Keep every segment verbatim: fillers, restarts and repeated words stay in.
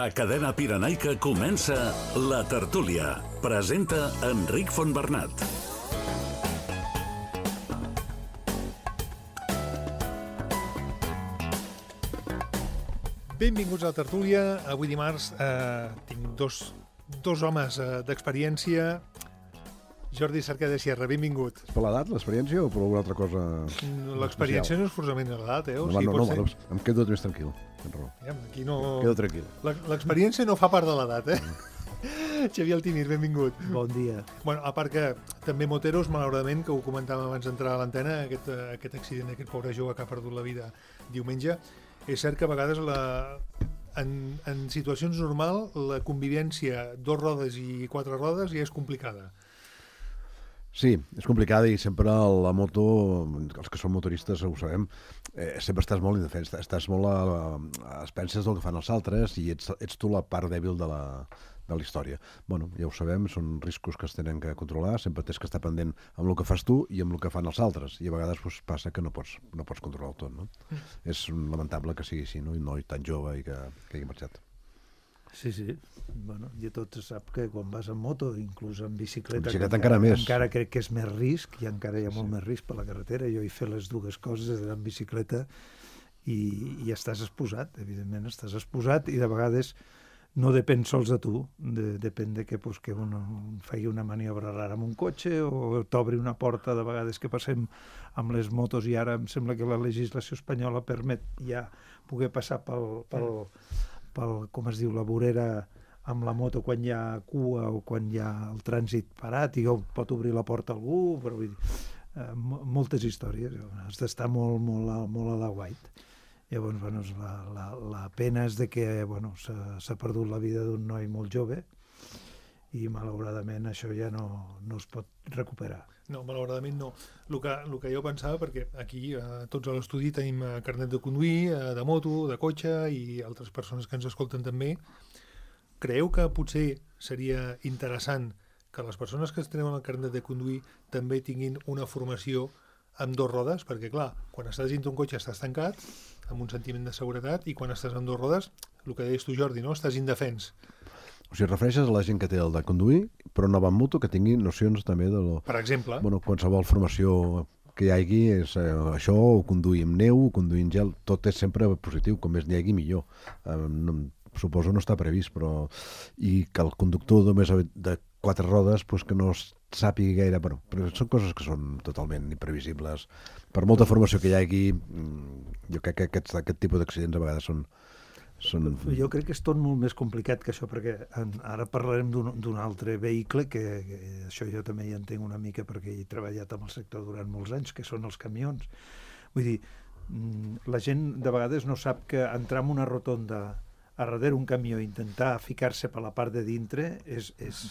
A Cadena Pirenaica comença La Tertúlia. Presenta Enric Fontbernat. Benvinguts a La Tertúlia. Avui dimarts eh, tinc dos, dos homes eh, d'experiència. Jordi Cerqueda Sierra, benvingut. Per l'edat, l'experiència, o per alguna altra cosa? L'experiència no és forçament de l'edat, eh? O no, sigui, no, no, ser... no, em quedo més tranquil. Aquí no... Em quedo tranquil. L'experiència no fa part de l'edat, eh? Xavier Altimir, benvingut. Bon dia. Bueno, a part que també moteros, malauradament, que ho comentàvem abans d'entrar a l'antena, aquest, aquest accident d'aquest pobre jove que ha perdut la vida diumenge, és cert que a vegades la... En, en situacions normals la convivència dos rodes i quatre rodes ja és complicada. Sí, és complicada i sempre la moto, els que som motoristes ho sabem, eh, sempre estàs molt indefens, estàs molt a, a expenses del que fan els altres i ets, ets tu la part dèbil de la, de la història. Bueno, ja ho sabem, són riscos que es tenen que controlar, sempre tens que estar pendent amb el que fas tu i amb el que fan els altres, i a vegades pues, passa que no pots, no pots controlar tot, no? Mm. És lamentable que sigui així, no? I un noi tan jove i que, que hagi marxat. Sí, sí. Bueno, i tot se sap que quan vas en moto, inclús en bicicleta, en bicicleta encara, encara més. Encara crec que és més risc, i encara hi ha sí, molt sí. més risc per la carretera. Jo he fet les dues coses en bicicleta i, i estàs exposat, evidentment, estàs exposat i de vegades no depèn sols de tu, de, depèn de que, pues, que un, un faci una maniobra rara amb un cotxe o t'obri una porta, de vegades que passem amb les motos i ara em sembla que la legislació espanyola permet ja poder passar pel... pel pel, com es diu, la vorera amb la moto quan hi ha cua o quan hi ha el trànsit parat i pot obrir la porta a algú, però vull dir, eh, moltes històries, has d'estar molt, molt, molt a la guait. Llavors, bueno, la, la, la pena és de que, bueno, s'ha perdut la vida d'un noi molt jove i malauradament això ja no, no es pot recuperar. No, malauradament no. El que, el que jo pensava, perquè aquí eh, tots a l'estudi tenim eh, carnet de conduir, eh, de moto, de cotxe i altres persones que ens escolten també. Creieu que potser seria interessant que les persones que es tenen el carnet de conduir també tinguin una formació amb dos rodes? Perquè, clar, quan estàs dins d'un cotxe estàs tancat, amb un sentiment de seguretat, i quan estàs amb dos rodes, el que deies tu, Jordi, no? Estàs indefens. O sigui, refereixes a la gent que té el de conduir, però no va amb moto, que tingui nocions també de... Lo... Per exemple. Bueno, qualsevol formació que hi hagi és eh, això, o conduir amb neu, o conduir amb gel, tot és sempre positiu, com més n'hi hagi millor. Eh, no, suposo no està previst, però... I que el conductor només de quatre rodes, pues, que no sàpiga gaire... Bueno, però són coses que són totalment imprevisibles. Per molta formació que hi hagi, jo crec que aquests, aquest tipus d'accidents a vegades són... Són... Jo crec que és tot molt més complicat que això, perquè en, ara parlarem d'un altre vehicle que, que això jo també hi entenc una mica perquè he treballat amb el sector durant molts anys, que són els camions. Vull dir, la gent de vegades no sap que entrar en una rotonda a darrere un camió i intentar ficar-se per la part de dintre és... és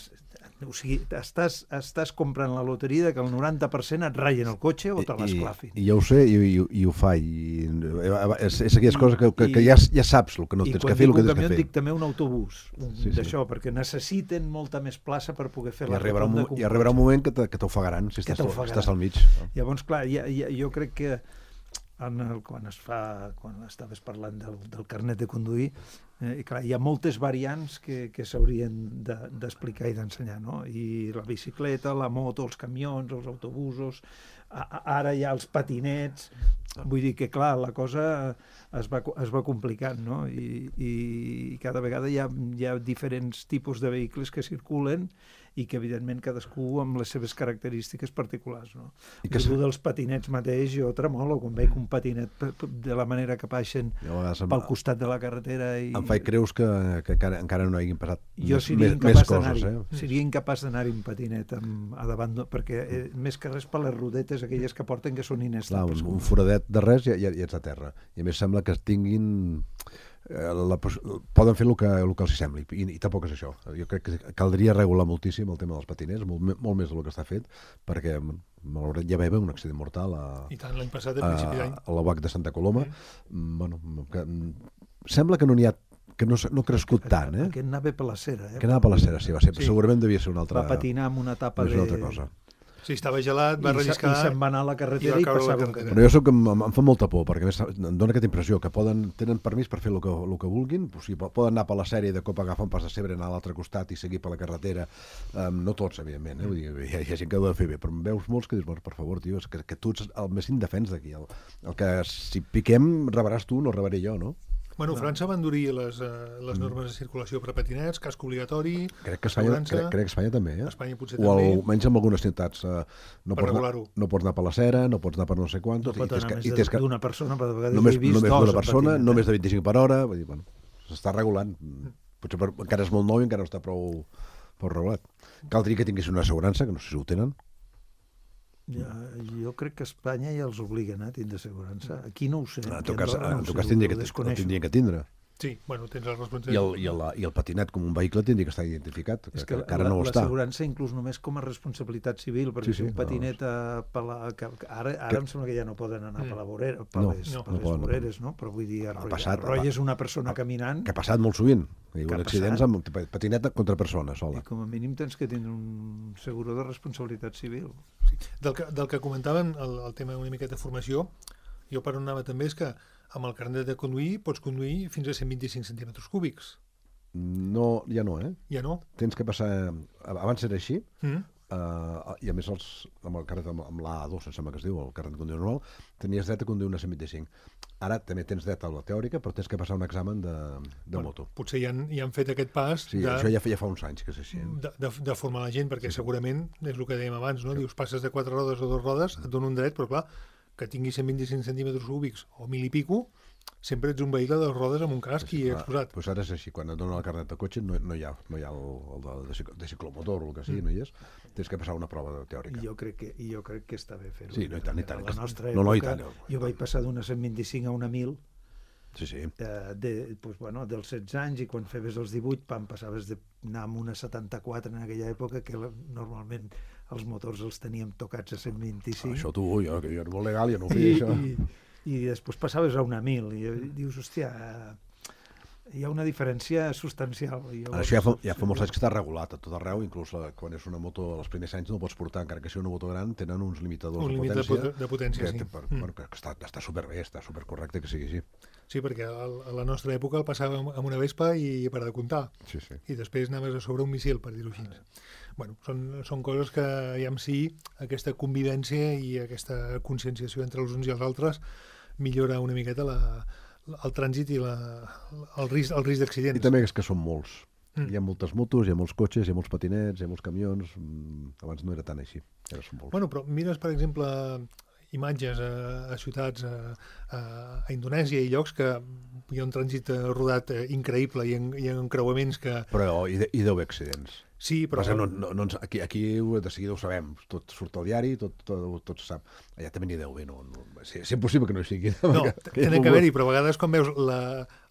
o sigui, estàs, estàs comprant la loteria que el noranta per cent et ratllen el cotxe o te l'esclafin. I, i jo ho sé i, i, i ho fa. I, és, és aquelles coses que, que, que ja, ja saps el que no tens que fer, el que tens que fer. I quan dic un camió dic també un autobús sí, d'això, sí. perquè necessiten molta més plaça per poder fer I la rotonda. I arribarà un moment que t'ofegaran si estàs, estàs al mig. Llavors, clar, ja, ja, jo crec que en el, quan es fa, quan estaves parlant del, del carnet de conduir, eh, i clar, hi ha moltes variants que, que s'haurien d'explicar de, i d'ensenyar, no? I la bicicleta, la moto, els camions, els autobusos, a, a, ara hi ha els patinets, vull dir que clar, la cosa es va, es va complicant, no? I, i cada vegada hi ha, hi ha diferents tipus de vehicles que circulen i que evidentment cadascú amb les seves característiques particulars, no? I que tu dels patinets mateix, jo tremolo quan veig un patinet de la manera que baixen pel costat de la carretera i... Em faig creus que, que encara, encara no hagin passat jo més, més coses, eh? Seria incapaç d'anar-hi un patinet amb, a davant, perquè eh, més que res per les rodetes aquelles que porten que són inestables. Clar, un, un foradet de res i, i ets a terra. I a més sembla que tinguin... La, poden fer el que, el que els sembli i, i tampoc és això. Jo crec que caldria regular moltíssim el tema dels patinets, molt, molt més del que està fet, perquè malauradament ja va haver un accident mortal a, I tant, l'any passat, a principi d'any, a la U A C de Santa Coloma. Mm. Bueno, que, sembla que no n'hi ha que no, no ha crescut tant, eh? Que anava per la cera, eh? Que anava per la cera, sí, va ser, sí. Segurament devia ser una altra... Va patinar amb una tapa de... Una altra cosa. Si estava gelat, va relliscar... I se'n va anar a la carretera i, i passava un carrer. Però jo soc, em, em fa molta por, perquè a més em dona aquesta impressió que poden, tenen permís per fer el que, el que vulguin, o sigui, poden anar per la sèrie de cop agafar un pas de cebre, anar a l'altre costat i seguir per la carretera. Um, no tots, evidentment, eh? Vull dir, hi, ha, hi ha gent que ho ha de fer bé, però em veus molts que dius, bueno, per favor, tio, que, que tu ets el més indefens d'aquí. El, el que si piquem rebaràs tu, no rebaré jo, no? Bueno, França va endurir les, uh, les normes de circulació per a patinets, casc obligatori, crec que Espanya, crec, crec que Espanya també, eh? Espanya potser o també. O almenys en algunes ciutats. Uh, no, per pots anar, no pots anar per la cera, no pots anar per no sé quantos. No pot anar més d'una persona, per vegades només, he vist només dos d'una persona, patinet, només de vint-i-cinc per hora. Vull dir, bueno, s'està regulant. Potser per, encara és molt nou i encara no està prou, prou regulat. Caldria que tinguessin una assegurança, que no sé si ho tenen. Ja, jo crec que a Espanya ja els obliguen a tindre assegurança. Aquí no ho sé. En tot cas, en tot cas tindria que, tindria que tindre. Sí, bueno, tens la responsabilitat. I el, i, el, I el patinet com un vehicle tindria que estar identificat, que, és que, que encara no ho està. L'assegurança inclús només com a responsabilitat civil, perquè sí, sí, si un patinet... No, a, la, que, ara ara que... em sembla que ja no poden anar mm. per, la vorera, per no, les, no, per no les poden, voreres, no? Però vull dir, arrolles una persona a, caminant... Que ha passat molt sovint. Hi ha accidents amb patinet contra persona sola. I com a mínim tens que tindre un seguro de responsabilitat civil. Sí. Del, que, del que comentaven, el, el tema una miqueta de formació, jo per on anava també és que amb el carnet de conduir pots conduir fins a cent vint-i-cinc centímetres cúbics. No, ja no, eh? Ja no? Tens que passar... Abans era així, mm. uh, i a més els, amb el carnet, amb, amb l'A dos, em sembla que es diu, el carnet de conduir normal, tenies dret a conduir una cent vint-i-cinc. Ara també tens dret a la teòrica, però tens que passar un examen de, de bueno, moto. Potser ja han, ja han fet aquest pas... Sí, de, això ja, ja fa uns anys que és així. De, de, de formar la gent, perquè sí, segurament, és el que dèiem abans, no? Sí. Dius, passes de quatre rodes a dues rodes, et dona un dret, però clar, que tingui cent vint-i-cinc centímetres cúbics o mil i pico, sempre ets un vehicle de dos rodes amb un casc sí, i exposat. Doncs ara és així, quan et donen el carnet de cotxe no, no hi ha, no hi ha el, el de, de, de ciclomotor o el que sigui, mm. no hi és, tens que passar una prova teòrica. I jo crec que, i jo crec que està bé fer-ho. Sí, no, i tant, i tant. A la nostra no, no, època, no, no, jo vaig passar d'una cent vint-i-cinc a una mil, sí, sí. Eh, de, pues, bueno, dels setze anys, i quan feves els divuit, pam, passaves d'anar amb una setanta-quatre en aquella època, que la, normalment els motors els teníem tocats a cent vint-i-cinc. Això tu, jo, que jo era molt legal, jo no ho feia, això. I, i després passaves a una mil, i dius, hòstia, hi ha una diferència substancial. Jo, això ja fa, ja fa molts anys que està regulat a tot arreu, inclús la, quan és una moto als primers anys no pots portar, encara que sigui una moto gran, tenen uns limitadors un de potència. Un límit de potència, que, sí. Per, mm. bueno, que està, està superbé, està supercorrecte que sigui així. Sí, perquè a la nostra època el passàvem amb una Vespa i per a de comptar. Sí, sí. I després anaves a sobre un missil, per dir-ho així. Bueno, són, són coses que ja en si aquesta convivència i aquesta conscienciació entre els uns i els altres millora una miqueta la, el trànsit i la, el risc, el risc d'accidents. I també és que són molts. Mm. Hi ha moltes motos, hi ha molts cotxes, hi ha molts patinets, hi ha molts camions. Abans no era tan així. Ara són molts. Bueno, però mires, per exemple, imatges a, a ciutats a, a, a Indonèsia i llocs que hi ha un trànsit rodat increïble i en, i en creuaments que... Però hi, de, hi deu haver accidents. Sí, però... No, no, no, aquí, aquí de seguida ho sabem, tot surt al diari, tot, tot, tot se sap. Allà també n'hi deu haver, no, no, és, és impossible que no hi sigui. No, tenen que haver-hi, però a vegades quan veus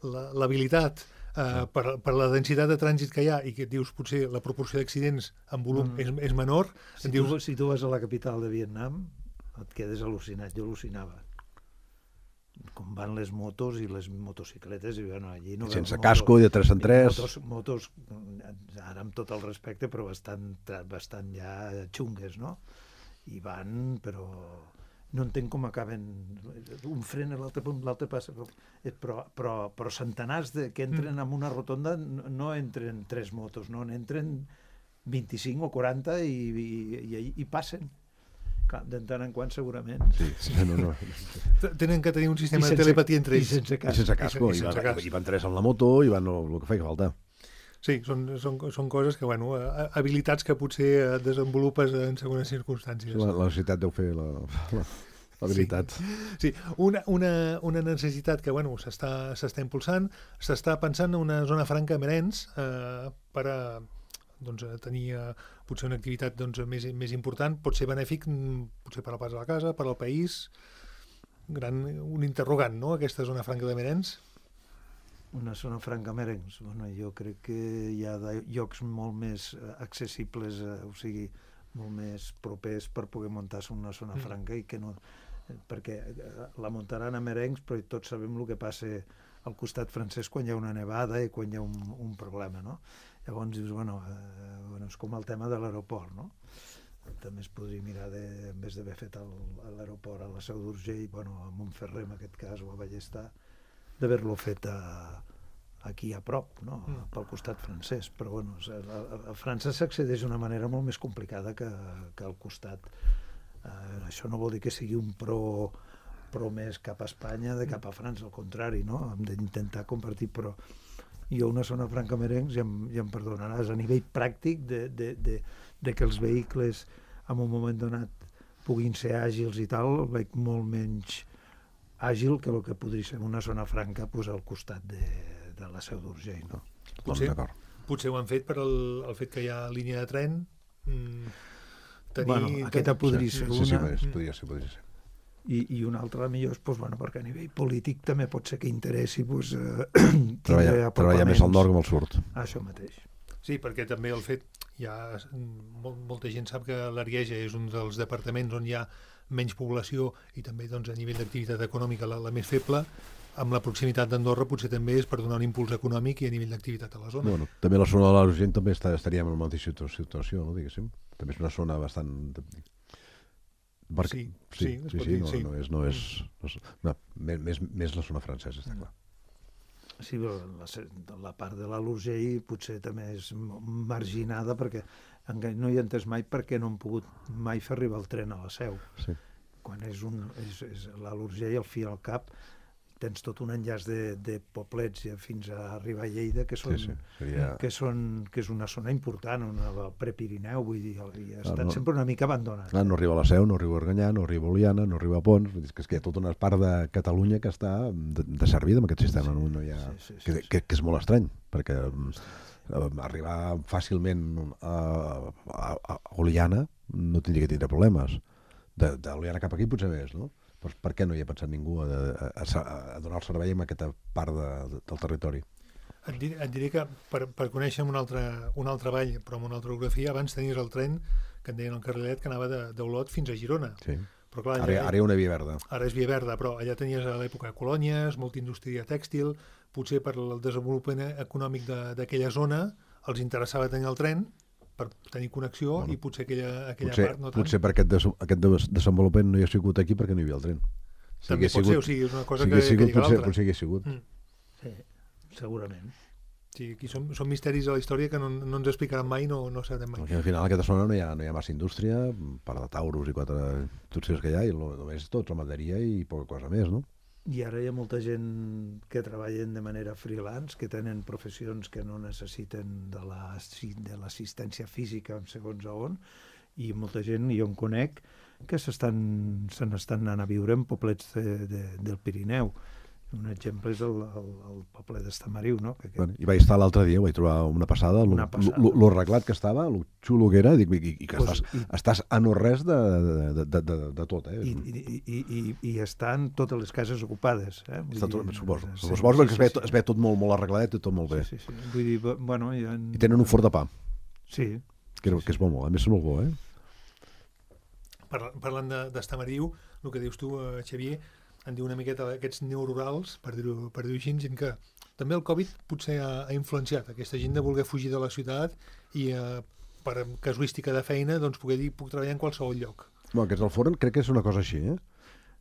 l'habilitat uh, per, per la densitat de trànsit que hi ha i que et dius potser la proporció d'accidents en volum mm. és, és menor... Si, dius... tu, si tu vas a la capital de Vietnam et quedes al·lucinat, jo al·lucinava. Com van les motos i les motocicletes i bueno, allí no sense motos, casco i de tres en tres motos, motos, ara amb tot el respecte, però bastant, bastant ja xungues, no? I van, però no entenc com acaben un fren a l'altre punt, l'altre passa, però, però, però centenars de, que entren en una rotonda no entren tres motos, no, n'entren vint-i-cinc o quaranta i, i, i, i passen. De tant en quant, segurament. Sí, sí, no, no. Tenen que tenir un sistema sense, de telepatia entre ells. I sense casco. I sense casco. I, sense, i, van, i van tres amb la moto i van el, el que feia falta. Sí, són, són, són coses que, bueno, habilitats que potser desenvolupes en segones circumstàncies. La, la necessitat deu fer la, la, l'habilitat. Sí, sí. Una, una, una necessitat que, bueno, s'està s'està impulsant, s'està pensant en una zona franca a Merenys eh, per a doncs, tenir uh, potser una activitat doncs, més, més important, pot ser benèfic potser per al pas de la casa, per al país, gran, un interrogant, no?, aquesta zona franca de Merenys. Una zona franca Merenys, bueno, jo crec que hi ha llocs molt més accessibles, eh, o sigui, molt més propers per poder muntar-se una zona mm. franca i que no... perquè la muntaran a Merenys, però tots sabem el que passa al costat francès quan hi ha una nevada i quan hi ha un, un problema, no? Llavors dius, bueno, eh, bueno, és com el tema de l'aeroport, no? també es podria mirar, de, en vez d'haver fet el, a l'aeroport a la Seu d'Urgell, bueno, a Montferrer en aquest cas, o a Ballester, d'haver-lo fet a, aquí a prop, no? Mm. Pel costat francès. Però bueno, a, a França s'accedeix d'una manera molt més complicada que, que al costat. Eh, això no vol dir que sigui un pro, pro més cap a Espanya de cap a França, al contrari, no? Hem d'intentar compartir, però jo una zona franca merencs, ja, em, ja em perdonaràs, a nivell pràctic de, de, de, de que els vehicles en un moment donat puguin ser àgils i tal, el veig molt menys àgil que el que podria ser una zona franca pues, al costat de, de la Seu d'Urgell, no? Potser, potser ho han fet per el, el fet que hi ha línia de tren. Mm, tenir, bueno, aquesta podria sí, ser sí, una. Sí, sí, podria ser, podria ser. I, i una altra millor, pues, bueno, perquè a nivell polític també pot ser que interessi pues, eh, treballar, treballar més al nord que al sud. Això mateix. Sí, perquè també el fet, ja, mol, molta gent sap que l'Arieja és un dels departaments on hi ha menys població i també doncs, a nivell d'activitat econòmica la, la més feble. Amb la proximitat d'Andorra potser també és per donar un impuls econòmic i a nivell d'activitat a la zona. Bueno, també la zona de l'Urgell també està, estaríem en la mateixa situació, no, diguéssim. També és una zona bastant... Perquè, sí, sí, sí, sí, sí, no, sí. No és, no és, no és no, més, més la zona francesa, està clar. Sí, però la, la part de l'Urgell potser també és marginada perquè no hi he entès mai perquè no han pogut mai fer arribar el tren a la Seu. Sí. Quan és, un, és, és l'Urgell, al fi i al cap, tens tot un enllaç de, de poblets fins a arribar a Lleida, que, són, sí, sí. Seria... que, són, que és una zona important, una, el Prepirineu, vull dir, i ha estat no, sempre una mica abandonat. Clar, no arriba a la Seu, no arriba a Organyà, no arriba a Oliana, no arriba a Pons, vull dir, que, és que hi ha tota una part de Catalunya que està de, de servida amb aquest sistema, sí, no hi ha... Sí, sí, sí, que, sí. Que, que és molt estrany, perquè eh, arribar fàcilment a, a, a Oliana no tindria que tindre problemes. De, de Oliana cap aquí potser més, no? Però per què no hi ha pensat ningú a, a, a, a donar el servei en aquesta part de, de, del territori? Et diré, et diré que per, per conèixer un altre, un altre vall, però amb una altra orografia, abans tenies el tren, que en deien el carrilet, que anava d'Olot fins a Girona. Sí. Però clar, allà, ara, ara hi ha una via verda. Ara és via verda, però allà tenies a l'època colònies, molta indústria tèxtil, potser per el desenvolupament econòmic d'aquella zona els interessava tenir el tren, per tenir connexió, bueno, i potser aquella, aquella potser, part no tant. Potser per aquest, des, aquest desenvolupament no hi ha sigut aquí perquè no hi havia el tren. Si també pot sigut, ser, o sigui, és una cosa si que, sigut, que lliga l'altra. Potser hi ha sigut. Mm. Sí, segurament. Sí, aquí són, són misteris de la història que no, no ens explicaran mai, no, no sabrem mai. Perquè al final a aquesta zona no hi ha, no hi ha massa indústria, part de Taurus i quatre indústries que hi ha, i només tot ramaderia i poca cosa més, no? I ara hi ha molta gent que treballen de manera freelance, que tenen professions que no necessiten de l'assistència la, física en segons a on, i molta gent, jo en conec, que se n'estan anant a viure en poblets de, de, del Pirineu. Un exemple és el, el, el poble d'Estamariu, no? Que, que... Bueno, i vaig estar l'altre dia, vaig trobar una passada, lo, lo, lo arreglat que estava, lo xulo que era, dic, i, i que pues, estàs, i... estàs a no res de, de, de, de, de tot, eh? I, i, i, i, i estan totes les cases ocupades, eh? Està tot, suposo, sí, suposo sí, que sí, es, ve, sí. es ve tot molt, molt arregladet i tot molt bé. Sí, sí, sí. Vull dir, bueno... Ha... I tenen un forn de pa. Sí. Que, sí, que és molt bo, a més és molt bo, eh? Parlant d'Estamariu, el que dius tu, Xavier, en diu una miqueta aquests neorurals, per dir-ho per dir així, gent que també el Covid potser ha, ha influenciat aquesta gent de voler fugir de la ciutat i eh, per casuística de feina doncs poder dir puc treballar en qualsevol lloc. Bueno, aquests del forn crec que és una cosa així, eh?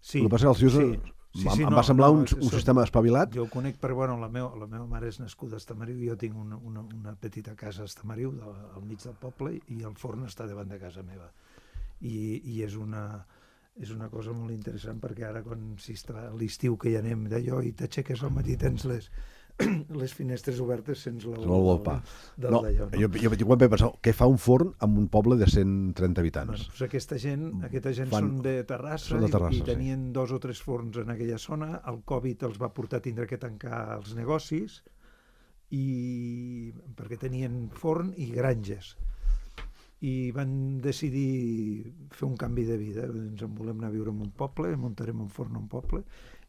Sí. El que passa que els tios, sí. Sí, sí, em no, va semblar no, un, un so, sistema espavilat. Jo ho conec, però bueno, la, meu, la meva mare és nascuda a Estamariu, jo tinc una, una, una petita casa a Estamariu, de, al mig del poble, i el forn està davant de casa meva. I, i és una... és una cosa molt interessant perquè ara quan si està l'estiu que hi anem d'allò i t'aixeques al matí tens les, les finestres obertes sents l'olor del pa. Del, no, d'allò, no? Jo, jo, jo quan vaig pensar, què fa un forn amb un poble de cent trenta habitants? Bueno, doncs aquesta gent, aquesta gent Fan, són de Terrassa, són de Terrassa i, i tenien sí. dos o tres forns en aquella zona. El Covid els va portar a tindre que tancar els negocis i perquè tenien forn i granges. I van decidir fer un canvi de vida. Ens en volem anar a viure en un poble, muntarem un forn en un poble,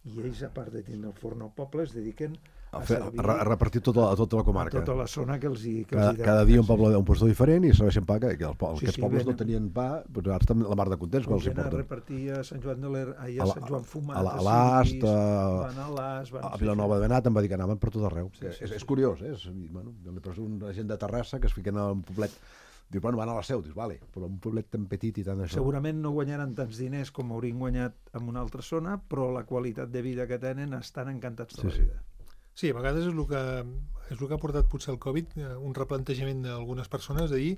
i ells, a part de tindre el forn al poble, es dediquen a, a, fer, servir, a, a repartir tota, a tota la comarca. A tota la zona que els hi... Que cada, els hi cada dia un poble un puesto diferent i serveixen pa, que, que els, sí, aquests sí, pobles venen, no tenien pa, doncs ara estan la mar de contents quan els hi porten. A repartir a Sant Joan de l'Er, a, a Sant Joan Fumat, a l'Ast, a, van a l'Ast, a Vilanova de Benat, em va dir que anaven per tot arreu. Sí, sí, és, sí, és curiós, eh? És, bueno, jo li poso una gent de Terrassa que es fiquen a un poblet Dius, bueno, van a la Seu, dius, vale, però un poblet tan petit i tant això... Segurament no guanyaran tants diners com haurien guanyat en una altra zona, però la qualitat de vida que tenen estan encantats tota Sí, la sí. vida. Sí, a vegades és el que, és el que ha portat potser el Covid, eh, un replantejament d'algunes persones de dir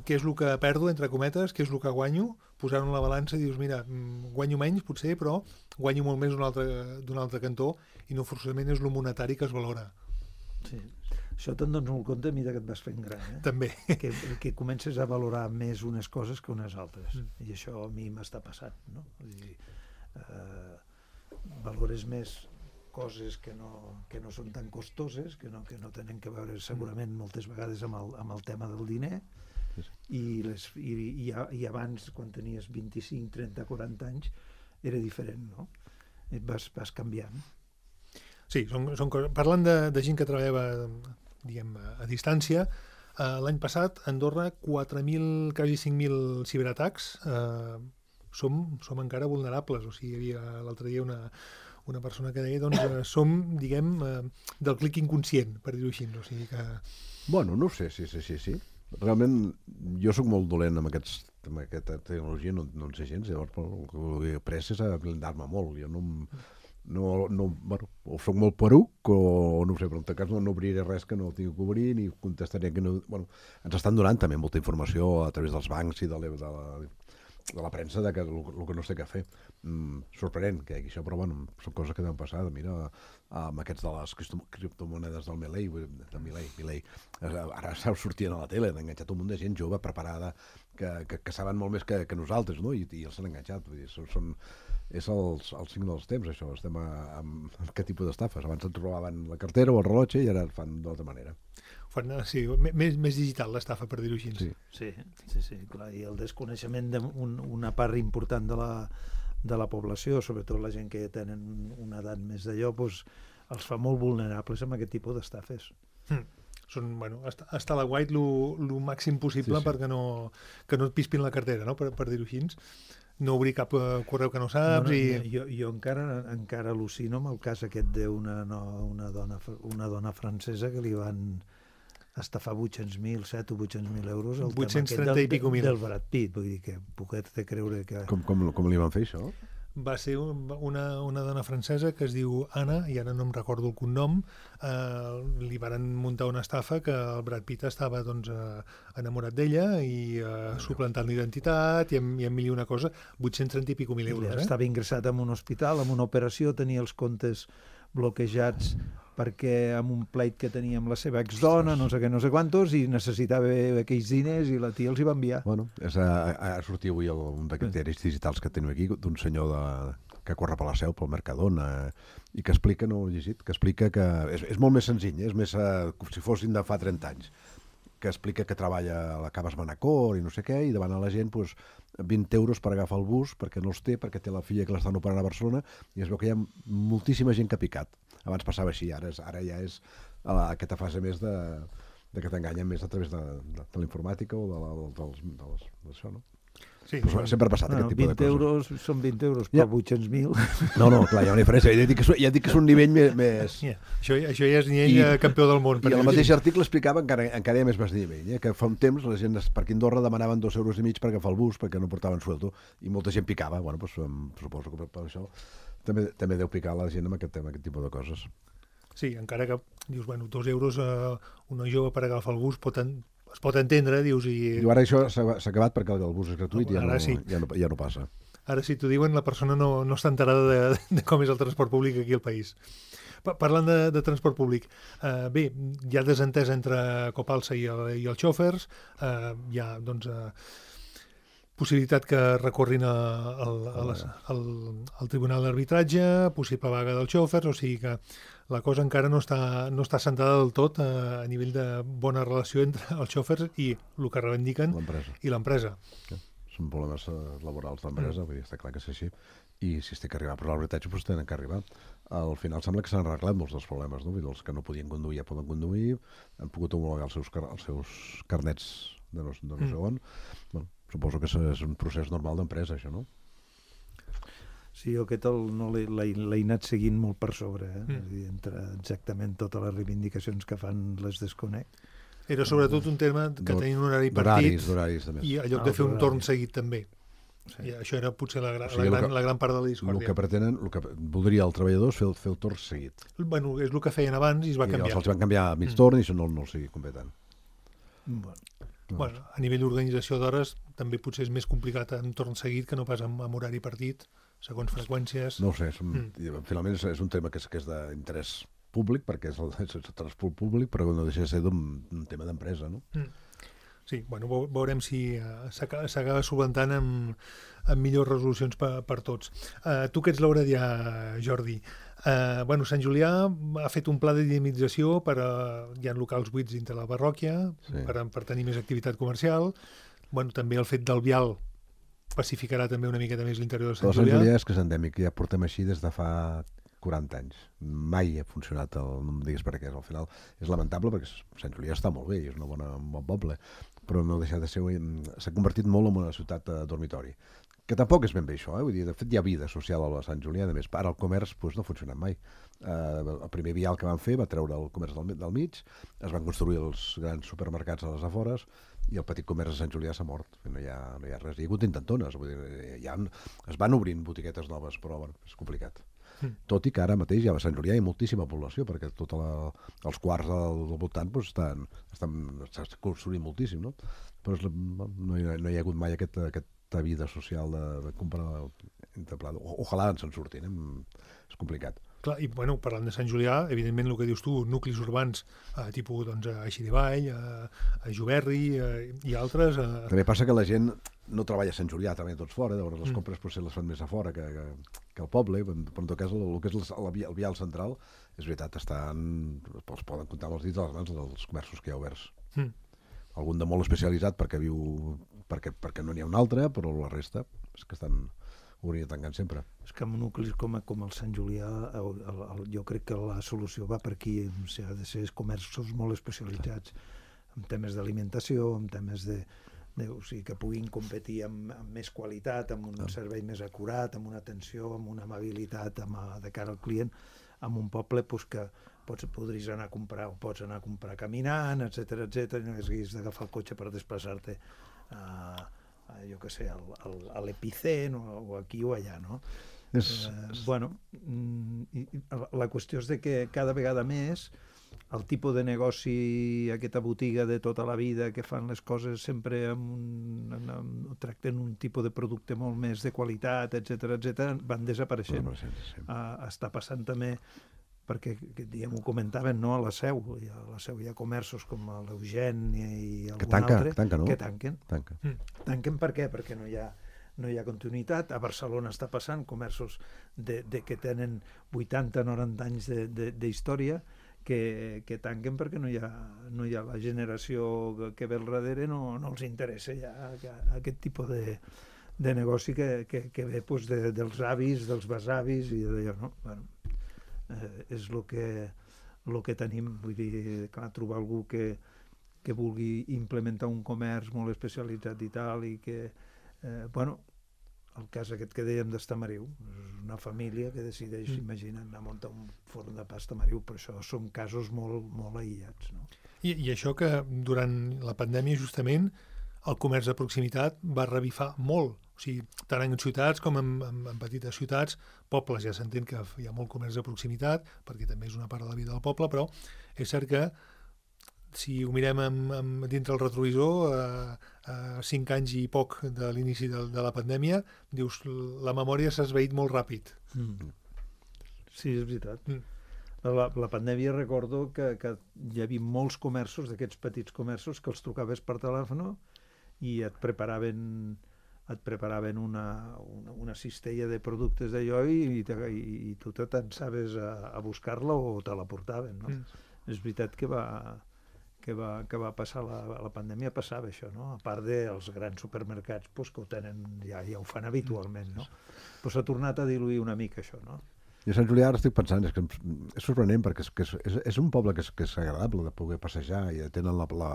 què és el que perdo, entre cometes, què és el que guanyo, posar-ho en la balança i dius, mira, mm, guanyo menys potser, però guanyo molt més d'un altre, d'un altre cantó i no forçosament és el monetari que es valora. Sí. Això te'n dones molt compte a mesura que et vas fent gran, eh? També. que, que comences a valorar més unes coses que unes altres. Mm. I això a mi m'està passant, no? Vull dir, eh, valores més coses que no, que no són tan costoses, que no, que no tenen que veure segurament moltes vegades amb el, amb el tema del diner, Sí, sí. i, les, i, i, i abans, quan tenies vint-i-cinc, trenta, quaranta anys, era diferent, no? Et vas, vas canviant. Sí, són, són coses... Parlant de, de gent que treballava, diguem, a, a distància, eh, l'any passat a Andorra quatre mil, quasi cinc mil ciberatacs, eh, som, som encara vulnerables, o sigui, hi havia l'altre dia una, una persona que deia, doncs, eh, som, diguem, eh, del clic inconscient, per dir-ho així, o sigui que... Bueno, no ho sé, sí, sí, sí, sí. Realment, jo sóc molt dolent amb, aquests, amb aquesta tecnologia, no, no en sé gens, llavors el que he après és a blindar-me molt. Jo no, no, no, bueno, o soc molt peruc o no ho sé, però en tot cas no, no obriré res que no tingui que obrir ni contestaré que no... Bueno, ens estan donant també molta informació a través dels bancs i de la, de la, de la premsa de que el, el que no sé què fer. Mm, sorprenent que hi hagi això, però bueno, són coses que deuen passar. Mira, amb aquests de les criptomonedes del Milei, del Milei, Milei, ara sortien a la tele, han enganxat un munt de gent jove, preparada, que, que, que saben molt més que, que nosaltres, no? I, i els han enganxat. Vull dir, són, són, és el, el signe dels temps, això. Estem a, a, a aquest tipus d'estafes. Abans ens robaven la cartera o el rellotge i ara el fan d'altra manera. Fan, sí, més, més digital l'estafa, per dir-ho així. Sí. Sí, sí, sí, clar. I el desconeixement d'una un, part important de la, de la població, sobretot la gent que tenen una edat més d'allò, doncs, els fa molt vulnerables amb aquest tipus d'estafes. Mm. Són, bueno, està, està a la guait el màxim possible Sí, sí. perquè no, que no et pispin la cartera, no? per, per dir-ho així. No obrir cap uh, correu que no saps no, no, i... Jo, jo encara, encara al·lucino amb el cas aquest d'una no, una dona, una dona francesa que li van estafar vuit-cents mil, set o vuit-cents mil euros el vuit-cents tema trenta aquest i pico mil. del, del Brad Pitt. Vull dir que poquet de creure que... Com, com, com li van fer això? Va ser un, una, una dona francesa que es diu Anna, i ara no em recordo el cognom, eh, li varen muntar una estafa que el Brad Pitt estava doncs, eh, enamorat d'ella i eh, suplantant l'identitat i amb, i amb mil i una cosa, vuit-cents trenta i pico mil euros. Eh? Estava ingressat en un hospital, amb una operació, tenia els comptes bloquejats perquè amb un pleit que tenia amb la seva exdona, no sé què, no sé quantos, i necessitava aquells diners i la tia els hi va enviar. Bueno, és a, a sortir avui el, un d'aquests diaris digitals que tenim aquí, d'un senyor de, que corre per la Seu, pel Mercadona, i que explica, no ho he llegit, que explica que és, és molt més senzill, és més uh, com si fossin de fa trenta anys, que explica que treballa a la Caves Manacor i no sé què, i davant a la gent pues, vint euros per agafar el bus, perquè no els té, perquè té la filla que l'estan operant a Barcelona, i es veu que hi ha moltíssima gent que ha picat. Abans passava així, ara, és, ara ja és a aquesta fase més de, de que t'enganyen més a través de, de, de la informàtica o de la, dels, dels, d'això, no? Sí, Però sempre ha passat Bueno, aquest tipus de vint coses. euros són vint euros per Ja. vuit-cents mil. No, no, clar, hi ha una diferència. Ja dic que, ja dic que és un nivell més... més... Yeah. Això, això ja és nivell I- I, campió del món. per I el dir-ho mateix així. article explicava encara, encara hi ha més més nivell, eh? Que fa un temps la gent per aquí a Andorra demanaven dos euros i mig per agafar el bus perquè no portaven sueldo i molta gent picava. Bueno, pues, em, suposo que per, per això també, també deu picar la gent amb aquest tema, aquest tipus de coses. Sí, encara que dius, bueno, dos euros a una jove per agafar el bus pot en, es pot entendre, dius, i I ara això s'ha s'ha acabat perquè el bus és gratuït i ja, Ara no, sí. ja, no, ja no passa. ara si t'ho diuen la persona no, no està enterada de, de com és el transport públic aquí al país. Pa- Parlant de, de transport públic, eh, bé, hi ha desentès entre Copalsa i, el, i els xòfers, eh, hi ha, doncs, eh, possibilitat que recorrin a, al, a les, al, al Tribunal d'Arbitratge, possible vaga dels xòfers, o sigui que la cosa encara no està, no està assentada del tot eh, a nivell de bona relació entre els xòfers i el que reivindiquen L'empresa. i l'empresa. Són problemes eh, laborals d'empresa, vull dir, està clar que és així. I si es té que arribar per l'arbitratge, doncs tenen que arribar. Al final sembla que s'han arreglat molts dels problemes, no? Vull dir, els que no podien conduir ja poden conduir, han pogut homologar els seus, car els seus carnets de no, de no sé on. Bueno, suposo que és, és un procés normal d'empresa, això, no? Sí, jo aquest el, no l'he l'he anat seguint molt per sobre, eh? Mm. És a dir, entre exactament totes les reivindicacions que fan les desconec. Era sobretot un tema que tenien un horari D'horaris, partit d'horaris, també. i en lloc Ah, de fer un d'horaris. torn seguit també. Sí. I això era potser la, gra O sigui, la, el gran, que- la gran part de la El discòrdia. que pretenen, el que voldria el treballador és fer, el- fer el torn seguit. Bueno, és el que feien abans i es va I canviar. els van canviar a mig Mm. torn i això no, no els hi convé tant. Bueno, Bueno, a nivell d'organització d'hores també potser és més complicat en torn seguit que no pas amb, amb horari partit, segons freqüències. No ho sé, és un, Mm. finalment és, és un tema que és, que és d'interès públic, perquè és el, és el transport públic, però no deixa de ser d'un un tema d'empresa, no? Mm. Sí, bueno, veu- veurem si uh, s'acaba solventant amb, amb millors resolucions per, per tots. Uh, tu que ets l'auradià, Jordi, uh, bueno, Sant Julià ha fet un pla de dinamització per a, hi ha locals buits dintre la parròquia, Sí. per, a- per tenir més activitat comercial. Bueno, també el fet del vial pacificarà també una miqueta més l'interior de Però Sant Sant Julià. Julià és que és endèmic, ja portem així des de fa quaranta anys. Mai ha funcionat, el, no em diguis per què, al final és lamentable perquè Sant Julià està molt bé i és una bona, un bon poble, però no deixa de ser, s'ha convertit molt en una ciutat de dormitori. Que tampoc és ben bé això, eh? Vull dir, de fet hi ha vida social a Sant Julià, a més, ara el comerç doncs, no ha funcionat mai. Uh, el primer vial que van fer va treure el comerç del, del mig, es van construir els grans supermercats a les afores i el petit comerç de Sant Julià s'ha mort, no hi ha, no hi ha res. Hi ha hagut intentones, vull dir, hi ha, es van obrint botiquetes noves, però bueno, és complicat. Mm. Tot i que ara mateix ja a Sant Julià hi ha moltíssima població, perquè tots els quarts del, del voltant doncs, estan, estan, estan construint moltíssim, no? Però és, la- no, hi ha, no hi ha hagut mai aquest, aquesta vida social de, de comprar entre plat. O, ojalà ens en surtin, eh? És complicat. Clar, i bueno, parlant de Sant Julià, evidentment el que dius tu, nuclis urbans, eh, tipus doncs, a Així de Vall, a, a Juberri eh, i altres. Eh, També passa que la gent no treballa a Sant Julià, treballa tots fora, llavors les Mm. compres potser les fan més a fora que, que, que al poble, però en tot cas el, el que és el, el, via- el vial central, és veritat, estan, els poden comptar amb els dits de les mans dels comerços que hi ha oberts. mm. Algun de molt especialitzat perquè viu perquè, perquè no n'hi ha un altre, però la resta és que estan obrint i tancant sempre. és que en nuclis com, com el Sant Julià el, el, el, jo crec que la solució va per aquí, o sigui, ha de ser comerços molt especialitzats en temes d'alimentació, en temes de, de, o sigui, que puguin competir amb, amb més qualitat, amb un servei més acurat, amb una atenció, amb una amabilitat amb, a- de cara al client, amb un poble pues, que pots, podries anar a comprar o pots anar a comprar caminant, etcètera etcètera, i no haguis d'agafar el cotxe per desplaçar-te a, a, jo què sé, al, al, a l'Epicent o, o aquí o allà, no? És, Eh, bueno, mm, i, i la qüestió és de que cada vegada més el tipus de negoci, aquesta botiga de tota la vida que fan les coses sempre amb un, amb, amb, tracten un tipus de producte molt més de qualitat, etcètera etcètera, van desapareixent. sí. Uh, està passant també perquè que, diguem, ho comentaven, no? A la Seu, i a la Seu hi ha comerços com l'Eugènia i algun Que tanca, altre que tanca, no? que tanquen. Tanca. Tanquen per què? Perquè no hi ha, no hi ha continuïtat. A Barcelona està passant comerços de, de que tenen vuitanta noranta anys d'història que, que tanquen perquè no hi ha, no hi ha la generació que, que ve al darrere, no, no els interessa ja que, aquest tipus de, de negoci que, que, que ve pues, de, dels avis, dels besavis i d'allò, no? Bueno, eh, és el que, lo que tenim, vull dir, clar, trobar algú que, que vulgui implementar un comerç molt especialitzat i tal, i que, eh, bueno, el cas aquest que dèiem d'Estamariu, és una família que decideix, Mm. imagina't, anar a muntar un forn de pa a Estamariu, però això són casos molt, molt aïllats, no? I, I això que durant la pandèmia justament el comerç de proximitat va revifar molt. O sigui, tant en ciutats com en, en, en petites ciutats, pobles ja s'entén que hi ha molt comerç de proximitat, perquè també és una part de la vida del poble, però és cert que si ho mirem amb, amb, dintre el retrovisor, a, a cinc anys i poc de l'inici de, de la pandèmia, dius, la memòria s'ha esvaït molt ràpid. Mm. Sí, és veritat. Mm. La, la pandèmia recordo que, que hi havia molts comerços, d'aquests petits comerços, que els trucaves per telèfon i et preparaven et preparaven una, una, una cistella de productes d'allò i, i, i, i tu te t'ensaves a, a buscar-la o te la portaven, no? Mm. És veritat que va, que va, que va passar la, la pandèmia, passava això, no? A part dels grans supermercats pues, que ho tenen, ja, ja ho fan habitualment, no? Però s'ha tornat a diluir una mica això, no? I a Sant Julià ara estic pensant, és que és sorprenent perquè és, que és, és, és un poble que és, que és agradable de poder passejar i tenen la, la,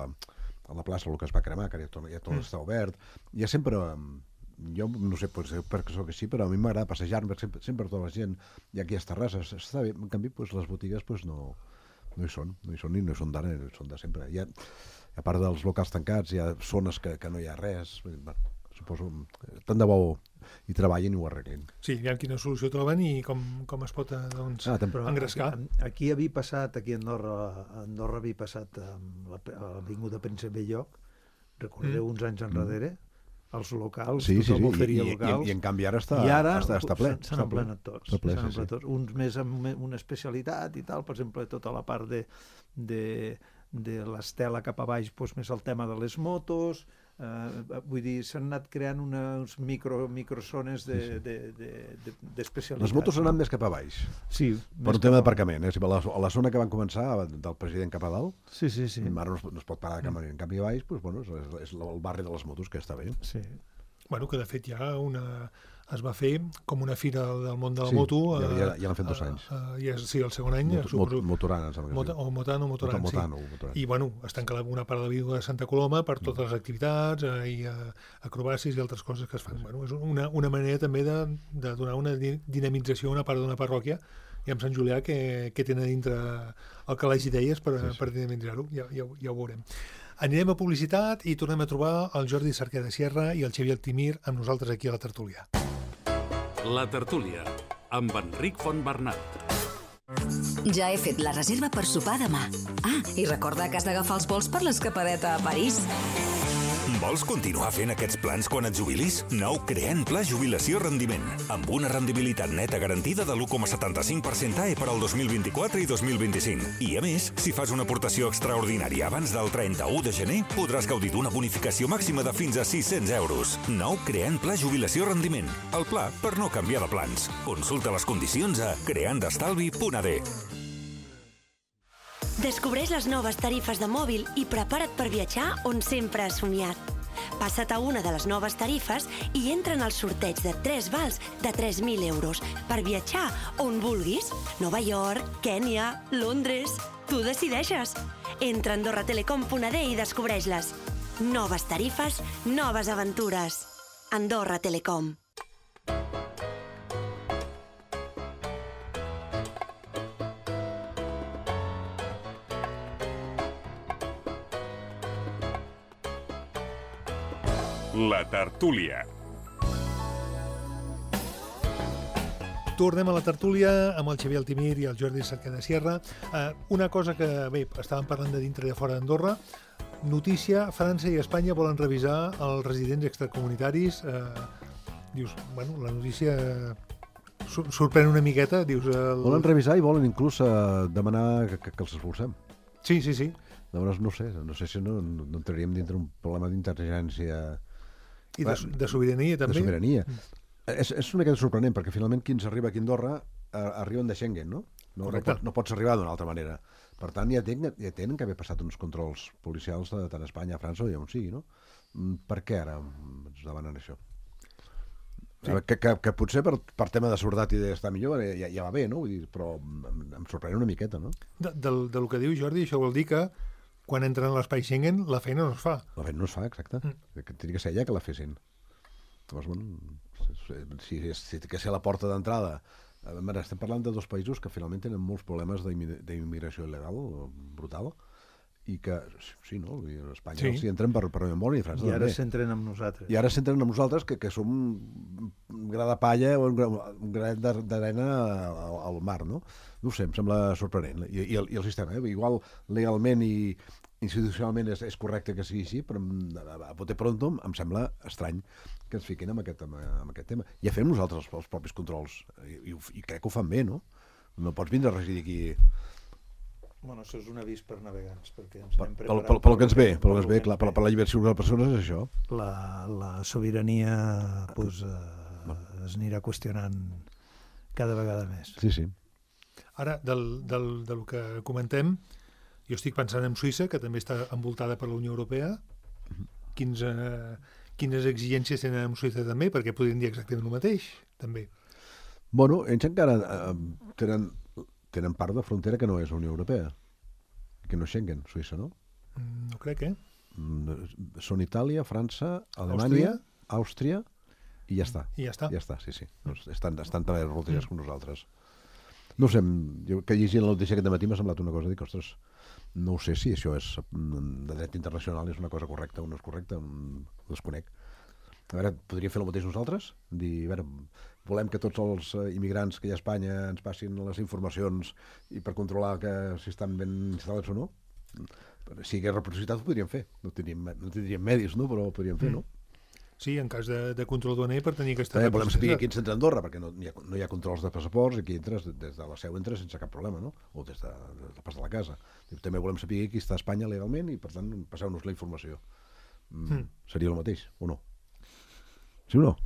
a la plaça el que es va cremar, que ja tot, ja tot Mm. està obert. Hi ha sempre, jo no sé per, perquè sóc així, però a mi m'agrada passejar-me sempre, sempre tota la gent, i aquí hi ha terrasses, està bé. En canvi, pues, les botigues pues, no, no hi són, no hi són ni no hi són d'ara, no hi són de sempre. Hi ha, a part dels locals tancats, hi ha zones que, que no hi ha res. Bueno, suposo, tant de bo hi treballin i ho arreglin. Sí, aviam quina solució troben i com, com es pot doncs, Ah, Però engrescar. Aquí, aquí havia passat, aquí a Andorra, a Andorra havia passat amb la- a l'Avinguda Príncep Belloc, recordeu, Mm. uns anys enrere, els locals, Sí, sí, tothom sí, oferia i, i, locals. i en canvi ara està, I ara està, està ple. s'han- s'han està ple. emplenat tots. Està ple, s'han sí, sí. emplenat tots. Uns més amb una especialitat i tal, per exemple, tota la part de, de, de l'estela cap a baix, doncs més el tema de les motos, eh, vull dir, s'han anat creant unes micro, microzones de, Sí, sí. de, de, de, d'especialitat. Les motos han anat més cap a baix, Sí, per més un tema cap a- d'aparcament. Eh? Si a, la, a la zona que van començar, del president cap a dalt, Sí, sí, sí. ara no es, pot- no es pot parar de cap, en canvi a baix, doncs, bueno, és, és el barri de les motos, que està bé. Sí. Bueno, que de fet hi ha una... es va fer com una fira del món de la Sí, moto. ja- eh, ja- ja l'han fet dos eh, anys. eh, ja és, sí, el segon any. Mot, suposo, mot, motorana, em sembla que Mota, sí. o Motano, Motoran, Motano, sí. Motoran. I, bueno, es tanca la- una part de la vida de Santa Coloma per Mm. totes les activitats eh, i eh, acrobàcies i altres coses que es fan. Bueno, és una, una manera també de, de donar una di- dinamització a una part d'una parròquia i amb Sant Julià que, que tenen dintre el calaix d'idees per, Sí, sí. per dinamitzar-ho. Ja, ja, ho- ja ho veurem. Anirem a publicitat i tornem a trobar el Jordi Cerquer de Sierra i el Xavier Altimir amb nosaltres aquí a la tertúlia. La tertúlia, amb Enric Fontbernat. Ja he fet la reserva per sopar demà. Ah, i recorda que has d'agafar els vols per l'escapadeta a París. Vols continuar fent aquests plans quan et jubilis? Nou Creant Pla Jubilació Rendiment, amb una rendibilitat neta garantida de l'u coma setanta-cinc per cent A E per al dos mil vint-i-quatre i dos mil vint-i-cinc. I a més, si fas una aportació extraordinària abans del trenta-u de gener, podràs gaudir d'una bonificació màxima de fins a sis-cents euros. Nou Creant Pla Jubilació Rendiment, el pla per no canviar de plans. Consulta les condicions a creandestalvi punt a d. Descobreix les noves tarifes de mòbil i prepara't per viatjar on sempre has somiat. Passa't a una de les noves tarifes i entra en el sorteig de tres vals de tres mil euros per viatjar on vulguis. Nova York, Kènia, Londres... Tu decideixes. Entra a andorra telecom punt a d i descobreix-les. Noves tarifes, noves aventures. Andorra Telecom. La tertúlia. Tornem a la tertúlia amb el Xavier Altimir i el Jordi Cerquer de Sierra. Uh, una cosa que, bé, estàvem parlant de dintre i de fora d'Andorra. Notícia, França i Espanya volen revisar els residents extracomunitaris. Uh, dius, bueno, la notícia sur sorprèn una miqueta. Dius, el... Volen revisar i volen inclús uh, demanar que, que, que els expulsem. Sí, sí, sí. Llavors, no sé, no sé si no, no entraríem dintre un problema d'intel·ligència... I de, de sobirania, també. De sobirania. És, és una mica sorprenent, perquè finalment qui ens arriba aquí a Andorra eh, arriben de Schengen, no? No, no, pots, no pots arribar d'una altra manera. Per tant, ja tenen, ja tenen que haver passat uns controls policials de, tant a Espanya, a França o ja on sigui, no? Mm, Per què ara ens demanen això? Sí. Que, que, que potser per, per tema de seguretat i d'estar millor ja, ja va bé, no? Vull dir, però em, em sorprèn una miqueta, no? De, del, del que diu Jordi, això vol dir que quan entren a l'espai Schengen la feina no es fa. La feina no es fa, exacte. Mm. Que tindria que ser ella que la fessin. Llavors, bueno, si, si, si que ser la porta d'entrada... Estem parlant de dos països que finalment tenen molts problemes d'immigració il·legal brutal i que, sí, no? Els espanyols s'hi entren per, per memòria i França I ara també. s'entren amb nosaltres. I ara s'entren amb nosaltres que, que som un gra de palla o un, gra, un granet d'arena al, al mar, no? No ho sé, em sembla sorprenent. I, i, el, i el sistema, eh? Igual legalment i institucionalment és, és correcte que sigui així, però a bote pronto em sembla estrany que ens fiquin amb aquest, amb, amb aquest tema. Ja fem nosaltres els, els propis controls i, i, i crec que ho fan bé, no? No pots vindre a residir aquí... Bueno, això és un avís per navegants, perquè ens anem Pel, preparant... pel, pel que ens ve, pel que ens ve, clar, per, per la llibertat de les persones és això. La, la sobirania pues, eh, es anirà qüestionant cada vegada més. Sí, sí. Ara, del, del, del que comentem, jo estic pensant en Suïssa, que també està envoltada per la Unió Europea. Quins, eh, quines exigències tenen amb Suïssa també? Perquè podrien dir exactament el mateix, també. Bueno, ells encara eh, tenen, tenen part de frontera que no és la Unió Europea, que no és Schengen, Suïssa, no? No crec, eh? Mm, Són Itàlia, França, Alemanya, Àustria, Àustria i ja està. I ja està. Ja està, sí, sí. Doncs estan, estan també fronteres com nosaltres. No sé, jo que llegint la notícia aquest matí m'ha semblat una cosa, dic, ostres, No ho sé si això és de dret internacional, és una cosa correcta o no és correcta, ho desconec. A veure, podríem fer el mateix nosaltres? Dir, a veure, volem que tots els immigrants que hi ha a Espanya ens passin les informacions i per controlar que si estan ben instal·lats o no? Si hi hagués reciprocitat ho podríem fer. No tindríem, no tindríem medis, no? Però ho podríem fer, no? Sí, en cas de, de control duaner per tenir aquesta... També volem saber qui ens entra a Andorra, perquè no hi ha, no hi ha controls de passaports i aquí entres, des de la seu entres sense cap problema, no? O des de, de pas de la casa. També volem saber qui està a Espanya legalment i, per tant, passeu-nos la informació. Mm. Mm. Seria el mateix, o no? Sí o no?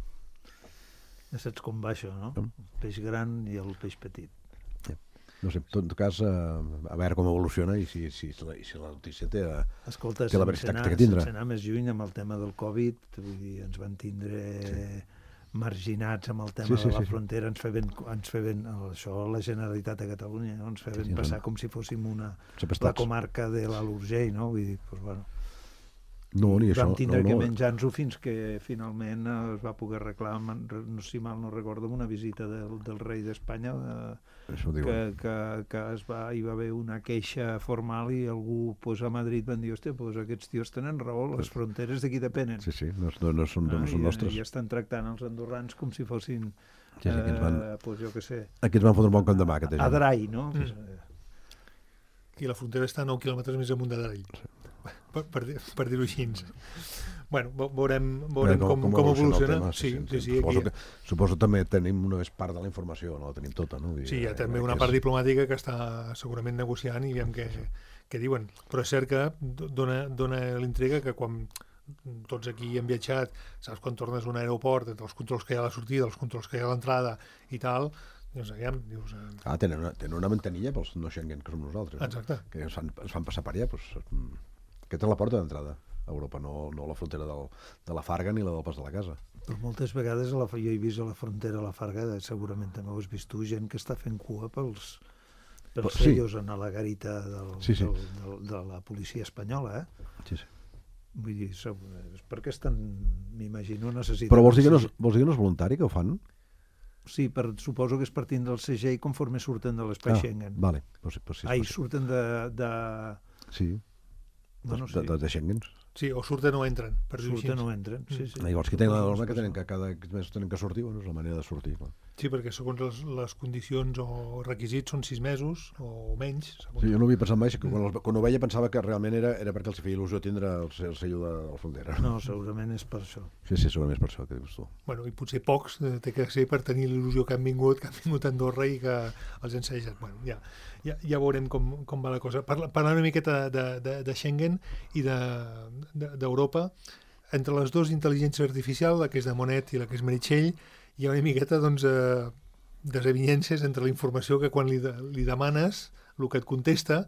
Ja saps com va això, no? El peix gran i el peix petit. Sí. No sé, en tot cas, eh, a veure com evoluciona i si, si, si, la, si la notícia té, Escolta, té la veracitat que tindrà. Sense anar més lluny amb el tema del Covid, vull dir, ens van tindre sí. marginats amb el tema sí, sí, de la sí, frontera, ens feien, ens feien això la Generalitat de Catalunya, no? Ens feien sí, passar com si fóssim una, la comarca de l'Alt Urgell, no? Vull dir, doncs, bueno, no, ni això, vam tindre no, que no. menjar-nos-ho fins que finalment es va poder arreglar, no, si mal no recordo, una visita del, del rei d'Espanya eh, que, que, que es va, hi va haver una queixa formal i algú pues, a Madrid van dir, hòstia, pues, aquests tios tenen raó, les fronteres d'aquí depenen. Sí, sí, no, no, no, són, no, no són ah, nostres. I estan tractant els andorrans com si fossin, sí, sí, eh, van, pues, jo què sé, aquí ens van fotre un bon camp de mà, aquesta gent. Adrai, no? Mm. I la frontera està a nou quilòmetres més amunt d'Adrai. Per, per, per dir-ho així. Bueno, veurem, veurem com, com, com evoluciona. Tema, sí, sí, sí, sí, suposo, que, suposo també tenim una part de la informació, no la tenim tota. No? Sí, hi ha també una part diplomàtica que està segurament negociant i veiem què, què diuen. Però és cert que dona, dona l'intriga que quan tots aquí hem viatjat, saps quan tornes a un aeroport, entre els controls que hi ha a la sortida, els controls que hi ha a l'entrada i tal, dius, aviam, dius... Eh... Ah, tenen una, tenen una mantenilla pels no Schengen, que som nosaltres. Exacte. No? Que es fan, es fan passar per allà, doncs... Aquesta és la porta d'entrada a Europa, no, no la frontera del, de la Farga ni la del pas de la casa. Però moltes vegades a la, jo he vist a la frontera a la Farga, segurament també ho has vist tu, gent que està fent cua pels, pels sí. sellos en la garita del, sí, sí. Del, del, de la policia espanyola, eh? Sí, sí. Vull dir, és perquè estan, m'imagino, necessiten... Però vols dir, que no és, vols dir que no és voluntari, que ho fan? Sí, per, suposo que és partint del segell conforme surten de l'espai ah, Schengen. Vale. Pues, pues sí, Ai, pues... surten de... de... Sí. Bueno, sí. De, de, de Schengen. Sí, o surten o entren. Per surten o entren, sí, sí. Ah, llavors, qui tenen la norma que tenen que cada mes tenen que sortir, bueno, és la manera de sortir. Clar. Sí, perquè segons les, les condicions o requisits són sis mesos o menys. Sí, jo no havia pensat mai, que quan, el, quan ho veia pensava que realment era, era perquè els feia il·lusió tindre el, el sello de, de la frontera. No, segurament és per això. Sí, sí, segurament és per això, que dius tu. Bueno, i potser pocs eh, té que ser per tenir l'il·lusió que han vingut, que han vingut a Andorra i que els han ensenyat. Bueno, ja, ja, ja veurem com, com va la cosa. Parla, parlant una miqueta de, de, de Schengen i d'Europa, de, entre les dues intel·ligències artificials, la que és de Monet i la que és Meritxell, hi ha una miqueta doncs, eh, desavinences entre la informació que quan li, de, li demanes, el que et contesta...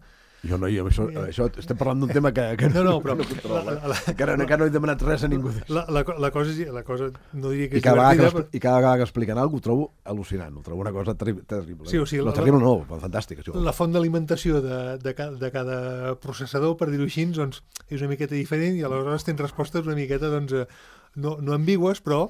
Jo no, jo, això, això, estem parlant d'un tema que, que no, no, però, no controla. La, la, la, que ara, encara no he demanat res a ningú. La, la, la, cosa, és, la cosa no diria que I és cada divertida... Però... I cada vegada que expliquen alguna cosa ho trobo al·lucinant, ho trobo una cosa terri- terrible. Sí, o sigui, no, la, terrible no, fantàstica. Això. La font d'alimentació de, de, ca, de cada processador, per dir-ho així, doncs, és una miqueta diferent i aleshores tens respostes una miqueta doncs, no, no ambigües, però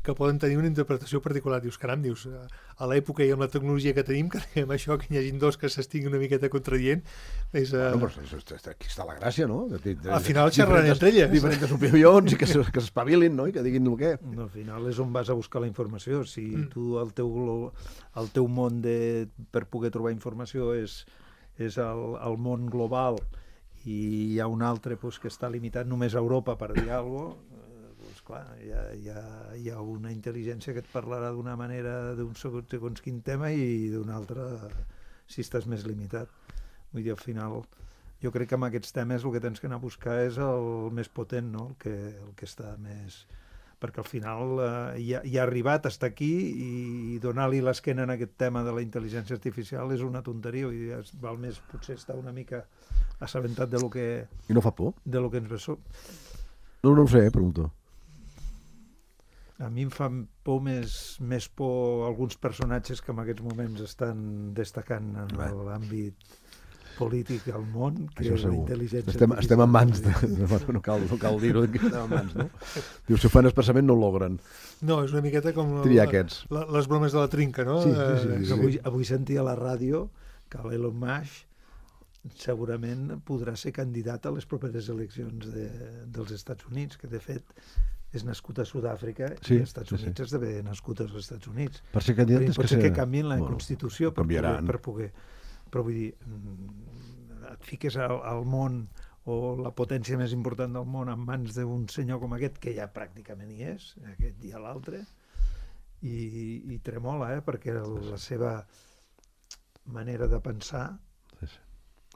que poden tenir una interpretació particular. Dius, caram, dius, a l'època i amb la tecnologia que tenim, que diguem això, que hi hagi dos que s'estiguin una miqueta contradient, és... Uh... Bueno, però aquí està la gràcia, no? De, de, de, al final xerraran entre elles. Diferents opinions i que s'espavilin, no? I que diguin el què. No, al final és on vas a buscar la informació. Si mm. tu, el teu, el teu món de, per poder trobar informació és, és el, el món global i hi ha un altre pues, que està limitat només a Europa per dir alguna cosa, clar, hi ha, hi, ha, hi ha una intel·ligència que et parlarà d'una manera d'un segons, segons quin tema i d'una altra si estàs més limitat. Vull dir, al final, jo crec que amb aquests temes el que tens que anar a buscar és el més potent, no? el, que, el que està més... Perquè al final eh, ja, ja ha arribat, està aquí i donar-li l'esquena en aquest tema de la intel·ligència artificial és una tonteria i val més potser estar una mica assabentat de lo que... I no fa por? De lo que ens ve so. No, no ho sé, pregunto. A mi em fan por més, més por alguns personatges que en aquests moments estan destacant en l'àmbit polític al món, que això la intel·ligència... Estem, estem en mans, de, de, no cal, no cal dir-ho, estem en mans, no? Diu, si ho fan expressament no ho logren. No, és una miqueta com la, la, les bromes de la trinca, no? Sí, sí, sí, sí, sí. Avui, avui sentia a la ràdio que l'Elon Musk segurament podrà ser candidat a les properes eleccions de, dels Estats Units, que de fet és nascut a Sud-àfrica sí, i als Estats Units sí, sí. esdevé nascut als Estats Units. Per ser candidat és pot que ser ser... que canvien la bueno, Constitució per poder, per poder... Però vull dir, et fiques al, al món o la potència més important del món en mans d'un senyor com aquest, que ja pràcticament hi és, aquest i l'altre, i, i tremola, eh? Perquè la seva manera de pensar sí, sí.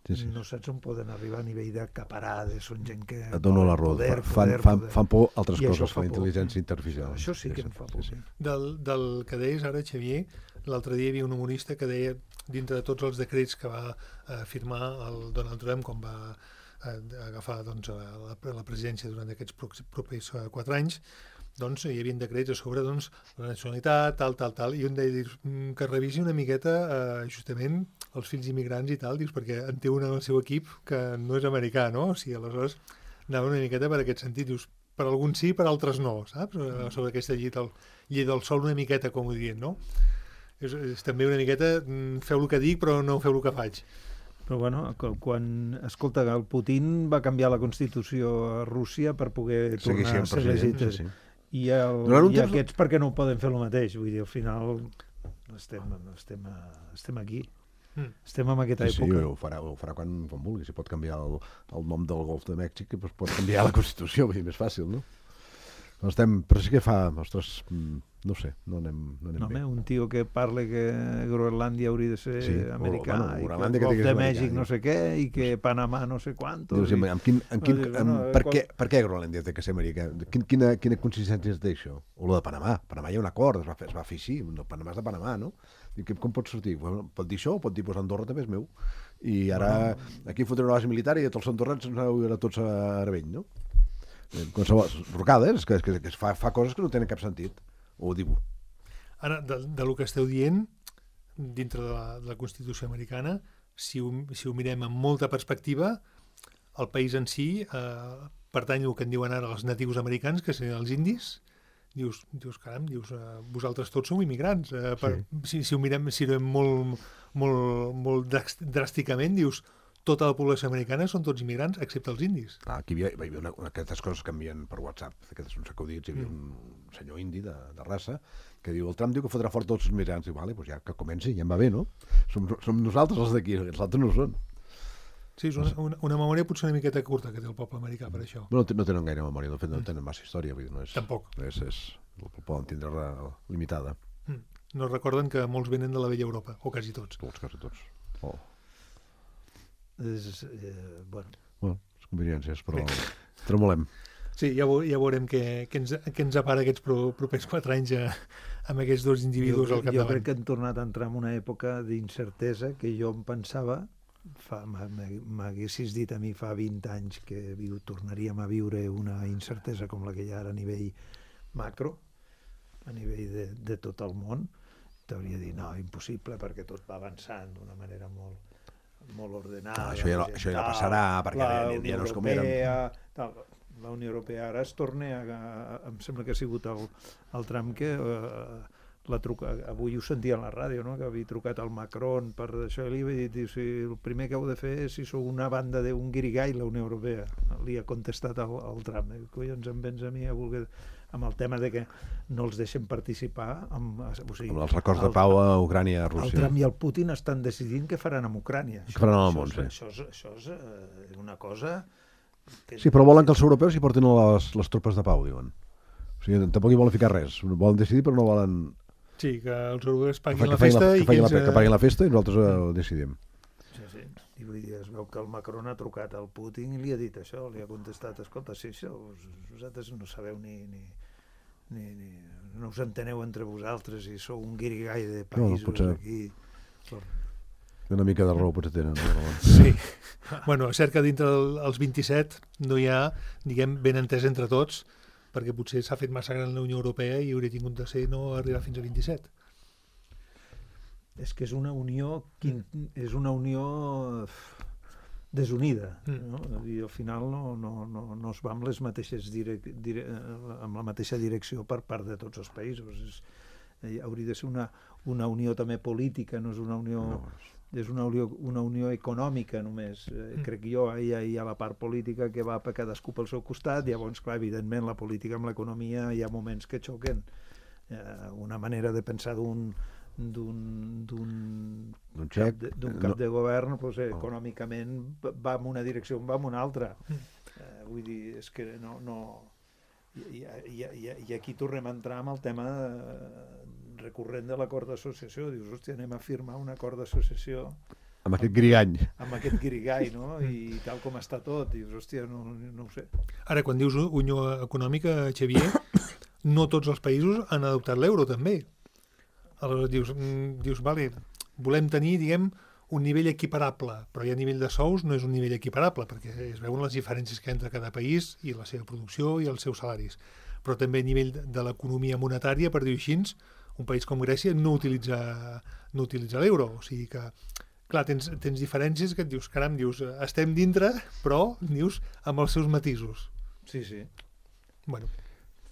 Sí, sí. No saps on poden arribar a nivell d'acaparar, de són gent que... Et dono la raó, fan, poder, fan, poder. fan por altres I coses, fan intel·ligència artificial. Això sí que em fa por. Sí, sí. Del, del que deies ara, Xavier, l'altre dia hi havia un humorista que deia, dintre de tots els decrets que va eh, firmar el Donald Trump quan va eh, agafar doncs, la, la presidència durant aquests propers eh, quatre anys, doncs hi havia decrets a sobre doncs, la nacionalitat, tal, tal, tal, i un deia que revisi una miqueta eh, justament els fills immigrants i tal, dius, perquè en té un en el seu equip que no és americà, no? O sigui, aleshores anava una miqueta per aquest sentit, dius, per alguns sí, per altres no, saps? Sobre aquesta llei del, llei del sol una miqueta, com ho dient, no? És, és també una miqueta, feu el que dic, però no feu el que faig. Però bueno, quan, escolta, el Putin va canviar la Constitució a Rússia per poder tornar a ser legítim. Sí, sí. I, el, i aquests perquè no ho poden fer el mateix, vull dir, al final estem, estem, estem aquí mm. estem en aquesta sí, època sí, ho farà, ho farà quan, quan vulgui, si pot canviar el, el nom del Golf de Mèxic doncs pot canviar la Constitució, vull dir, més fàcil, no? Però, estem, però sí que fa, ostres, no sé, no anem, no anem no, bé. Un tio que parla que Groenlàndia hauria de ser sí, americà, o, bueno, i que el Golf de Mèxic no sé què, i que Panamà no sé quantos. Dius, i... amb quin, amb quin, no, dius, amb, no, per, qual... què, per què Groenlàndia té que ser americà? Quin, quina, quina consistència té això? O lo de Panamà. Panamà hi ha un acord, es va fer, es va fer així, no, Panamà és de Panamà, no? I que, com pot sortir? Bueno, pot dir això o pot dir, pues, Andorra també és meu. I ara bueno, aquí fotré una base militar i tots els andorrans ens aneu a tots a Arabell, no? Qualsevol rocades, que, que, que fa, fa coses que no tenen cap sentit. O ho diu. Ara, de, de lo que esteu dient, dintre de la, de la Constitució americana, si ho, si ho mirem amb molta perspectiva, el país en si eh, pertany al que en diuen ara els natius americans, que serien els indis. Dius, dius caram, dius, eh, vosaltres tots sou immigrants. Eh, per, sí. si, si ho mirem, si ho mirem molt, molt, molt dràsticament, dius, tota la població americana són tots immigrants, excepte els indis. Ah, aquí hi havia, hi havia una, una, aquestes coses que envien per WhatsApp, aquestes uns acudits, hi havia mm. un senyor indi de, de raça que diu, el Trump diu que fotrà fort tots els immigrants. Diu, vale, doncs ja que comenci, ja em va bé, no? Som, som nosaltres els d'aquí, els altres no són. Sí, és una, una, una memòria potser una miqueta curta que té el poble americà per això. No, no tenen gaire memòria, de fet no tenen massa història. Vull dir, no és, Tampoc. És, és, el poden tindre limitada. Mm. No recorden que molts venen de la vella Europa, o quasi tots. Tots, quasi tots. Oh. És, eh, bueno. Bueno, les conveniències, però tremolem. Sí, ja, ja veurem què, què, ens, què ens apara aquests pro, propers quatre anys a, amb aquests dos individus jo, al capdavant. Jo crec que hem tornat a entrar en una època d'incertesa que jo em pensava, m'haguessis dit a mi fa vint anys que viu, tornaríem a viure una incertesa com la que hi ha ara a nivell macro, a nivell de, de tot el món, t'hauria dit, no, impossible, perquè tot va avançant d'una manera molt molt ordenada. Ah, això, ja no, això ja no passarà, perquè la ja, ja no és com érem. Tal, la Unió Europea ara es torna a, a, em sembla que ha sigut el, el Trump que uh, la truca, avui ho sentia a la ràdio, no? Que havia trucat al Macron per això, i li havia dit, si el primer que heu de fer és si sou una banda d'un guirigall, la Unió Europea. Li ha contestat al, al Trump, eh? Collons em vens a mi a voler... amb el tema de que no els deixen participar amb, o sigui, amb els records de pau a Ucrània, a Rússia. El Trump i el Putin estan decidint què faran amb Ucrània. Què faran al món, sí. Això és, això és eh, una cosa... Que... Sí, però volen que els europeus hi portin les, les tropes de pau, diuen. O sigui, tampoc hi volen ficar res. Volen decidir, però no volen... Sí, que els europeus paguin que la festa la, i que, que, ells... la, que paguin la festa i nosaltres ho decidim. Sí, sí. I vull dir, es veu que el Macron ha trucat al Putin i li ha dit això, li ha contestat, escolta, sí, això, vosaltres no sabeu ni... ni... Ni, ni, no us enteneu entre vosaltres i sou un guirigall de països no, potser... aquí. Una mica de raó potser tenen. No? Sí. Bueno, és cert que dintre dels vint-i-set no hi ha, diguem, ben entès entre tots, perquè potser s'ha fet massa gran la Unió Europea i hauria tingut de ser no arribar fins a vint-i-set. És que és una unió, és una unió desunida, mm. no? I al final no, no, no, no es va amb les mateixes direc, dire, amb la mateixa direcció per part de tots els països. És, eh, hauria de ser una, una unió també política, no és una unió... No, és una unió, una unió econòmica només. Eh, crec jo, hi ha, hi ha la part política que va per cadascú pel seu costat, llavors, clar, evidentment, la política amb l'economia hi ha moments que xoquen. Eh, una manera de pensar d'un d'un d'un cap, xec, de, d'un cap no. de govern pues, eh, econòmicament va en una direcció, va en una altra. Eh, vull dir, és que no... no i, i, i, i aquí tornem a entrar amb el tema eh, recurrent de l'acord d'associació. Dius, hòstia, anem a firmar un acord d'associació amb aquest grigany. Amb aquest grigall, no? I tal com està tot. Dius, hòstia, no, no ho sé. Ara, quan dius Unió Econòmica, Xavier, no tots els països han adoptat l'euro, també. Aleshores dius, dius, vale, volem tenir, diguem, un nivell equiparable, però ja a nivell de sous no és un nivell equiparable, perquè es veuen les diferències que hi ha entre cada país i la seva producció i els seus salaris. Però també a nivell de l'economia monetària, per dir-ho així, un país com Grècia no utilitza, no utilitza l'euro. O sigui que, clar, tens, tens diferències que et dius, caram, dius, estem dintre, però, dius, amb els seus matisos. Sí, sí. Bueno.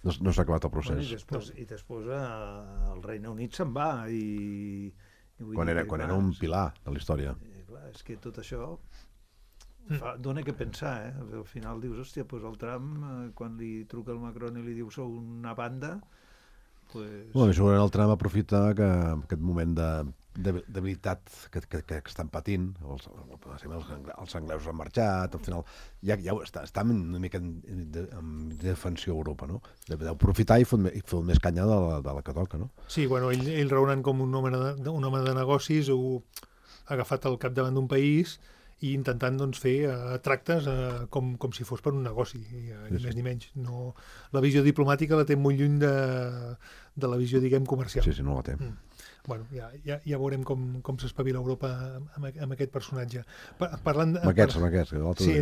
No, no s'ha acabat el procés. Bueno, i després, no. i després eh, el Regne Unit se'n va i... i quan era, quan era un pilar de la història. I, clar, és que tot això fa, dona que pensar, eh? Al final dius, hòstia, pues el Trump, eh, quan li truca el Macron i li diu sou una banda, pues... Bueno, segurament el Trump aprofita que aquest moment de, de debilitat que, que, que estan patint, els, els, els anglesos han marxat, al final ja, ja està, està una mica en, de, en defensió a Europa, no? D'aprofitar i fer més canya de la, de la que toca, no? Sí, bueno, ell, ell raonant com un home de, un home de negocis, ho ha agafat al capdavant d'un país i intentant doncs, fer uh, tractes uh, com, com si fos per un negoci, i, uh, ni sí, més sí. ni menys. No, la visió diplomàtica la té molt lluny de, de la visió, diguem, comercial. Sí, sí, no la té. Mm. Bueno, ja, ja, ja veurem com, com s'espavila Europa amb, amb aquest personatge. Pa, parlant de, amb aquests, amb aquests. Sí,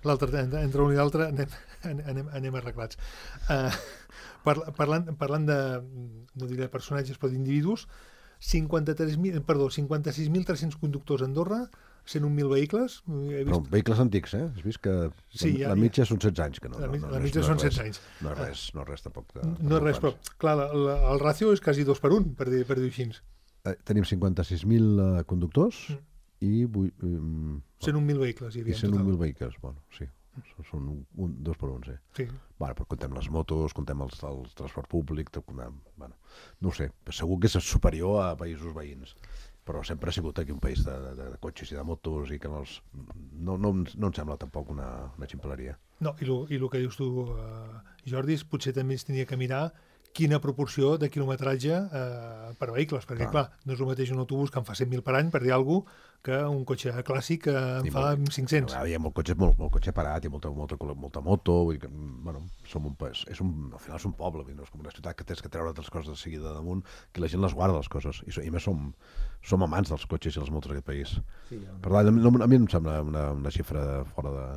l'altre, la, entre un i l'altre anem, anem, anem arreglats. Uh, par, parlant, parlant de, no diré personatges, però d'individus, cinquanta-tres mil, perdó, cinquanta-sis mil tres-cents conductors a Andorra, cent un mil vehicles. He vist... Però vehicles antics, eh? Has vist que sí, ja, la mitja ja. són setze anys. Que no, la, no, no, la mitja no són setze anys. No és res, no és res tampoc. De, no és res, però clar, la, la, el ràcio és quasi dos per un, per dir, per dir així. Eh, tenim cinquanta-sis mil uh, conductors mm. i... Um, cent un mil vehicles hi havia i cent un mil vehicles, bueno, sí. Són un, un, dos per un, sí. sí. Bueno, però contem les motos, contem el, el transport públic, contem, bueno, no ho sé, segur que és superior a països veïns, però sempre ha sigut aquí un país de, de, de cotxes i de motos i que no, els, no, no, no em sembla tampoc una, una ximpleria. No, i el que dius tu, uh, Jordi, potser també es tenia que mirar quina proporció de quilometratge eh, per vehicles, perquè clar. clar, no és el mateix un autobús que en fa cent mil per any, per dir alguna cosa, que un cotxe clàssic que en I fa molt, cinc-cents. Hi ha molt cotxe, molt, molt cotxe parat, hi ha molta, molta, molta moto, vull dir que, bueno, som un, és un, al final és un poble, no és com una ciutat que tens que treure les coses de seguida damunt, que la gent les guarda, les coses, i, i més som, som amants dels cotxes i les motos d'aquest país. Sí, ja. Per tant, no, a mi em sembla una, una xifra fora de...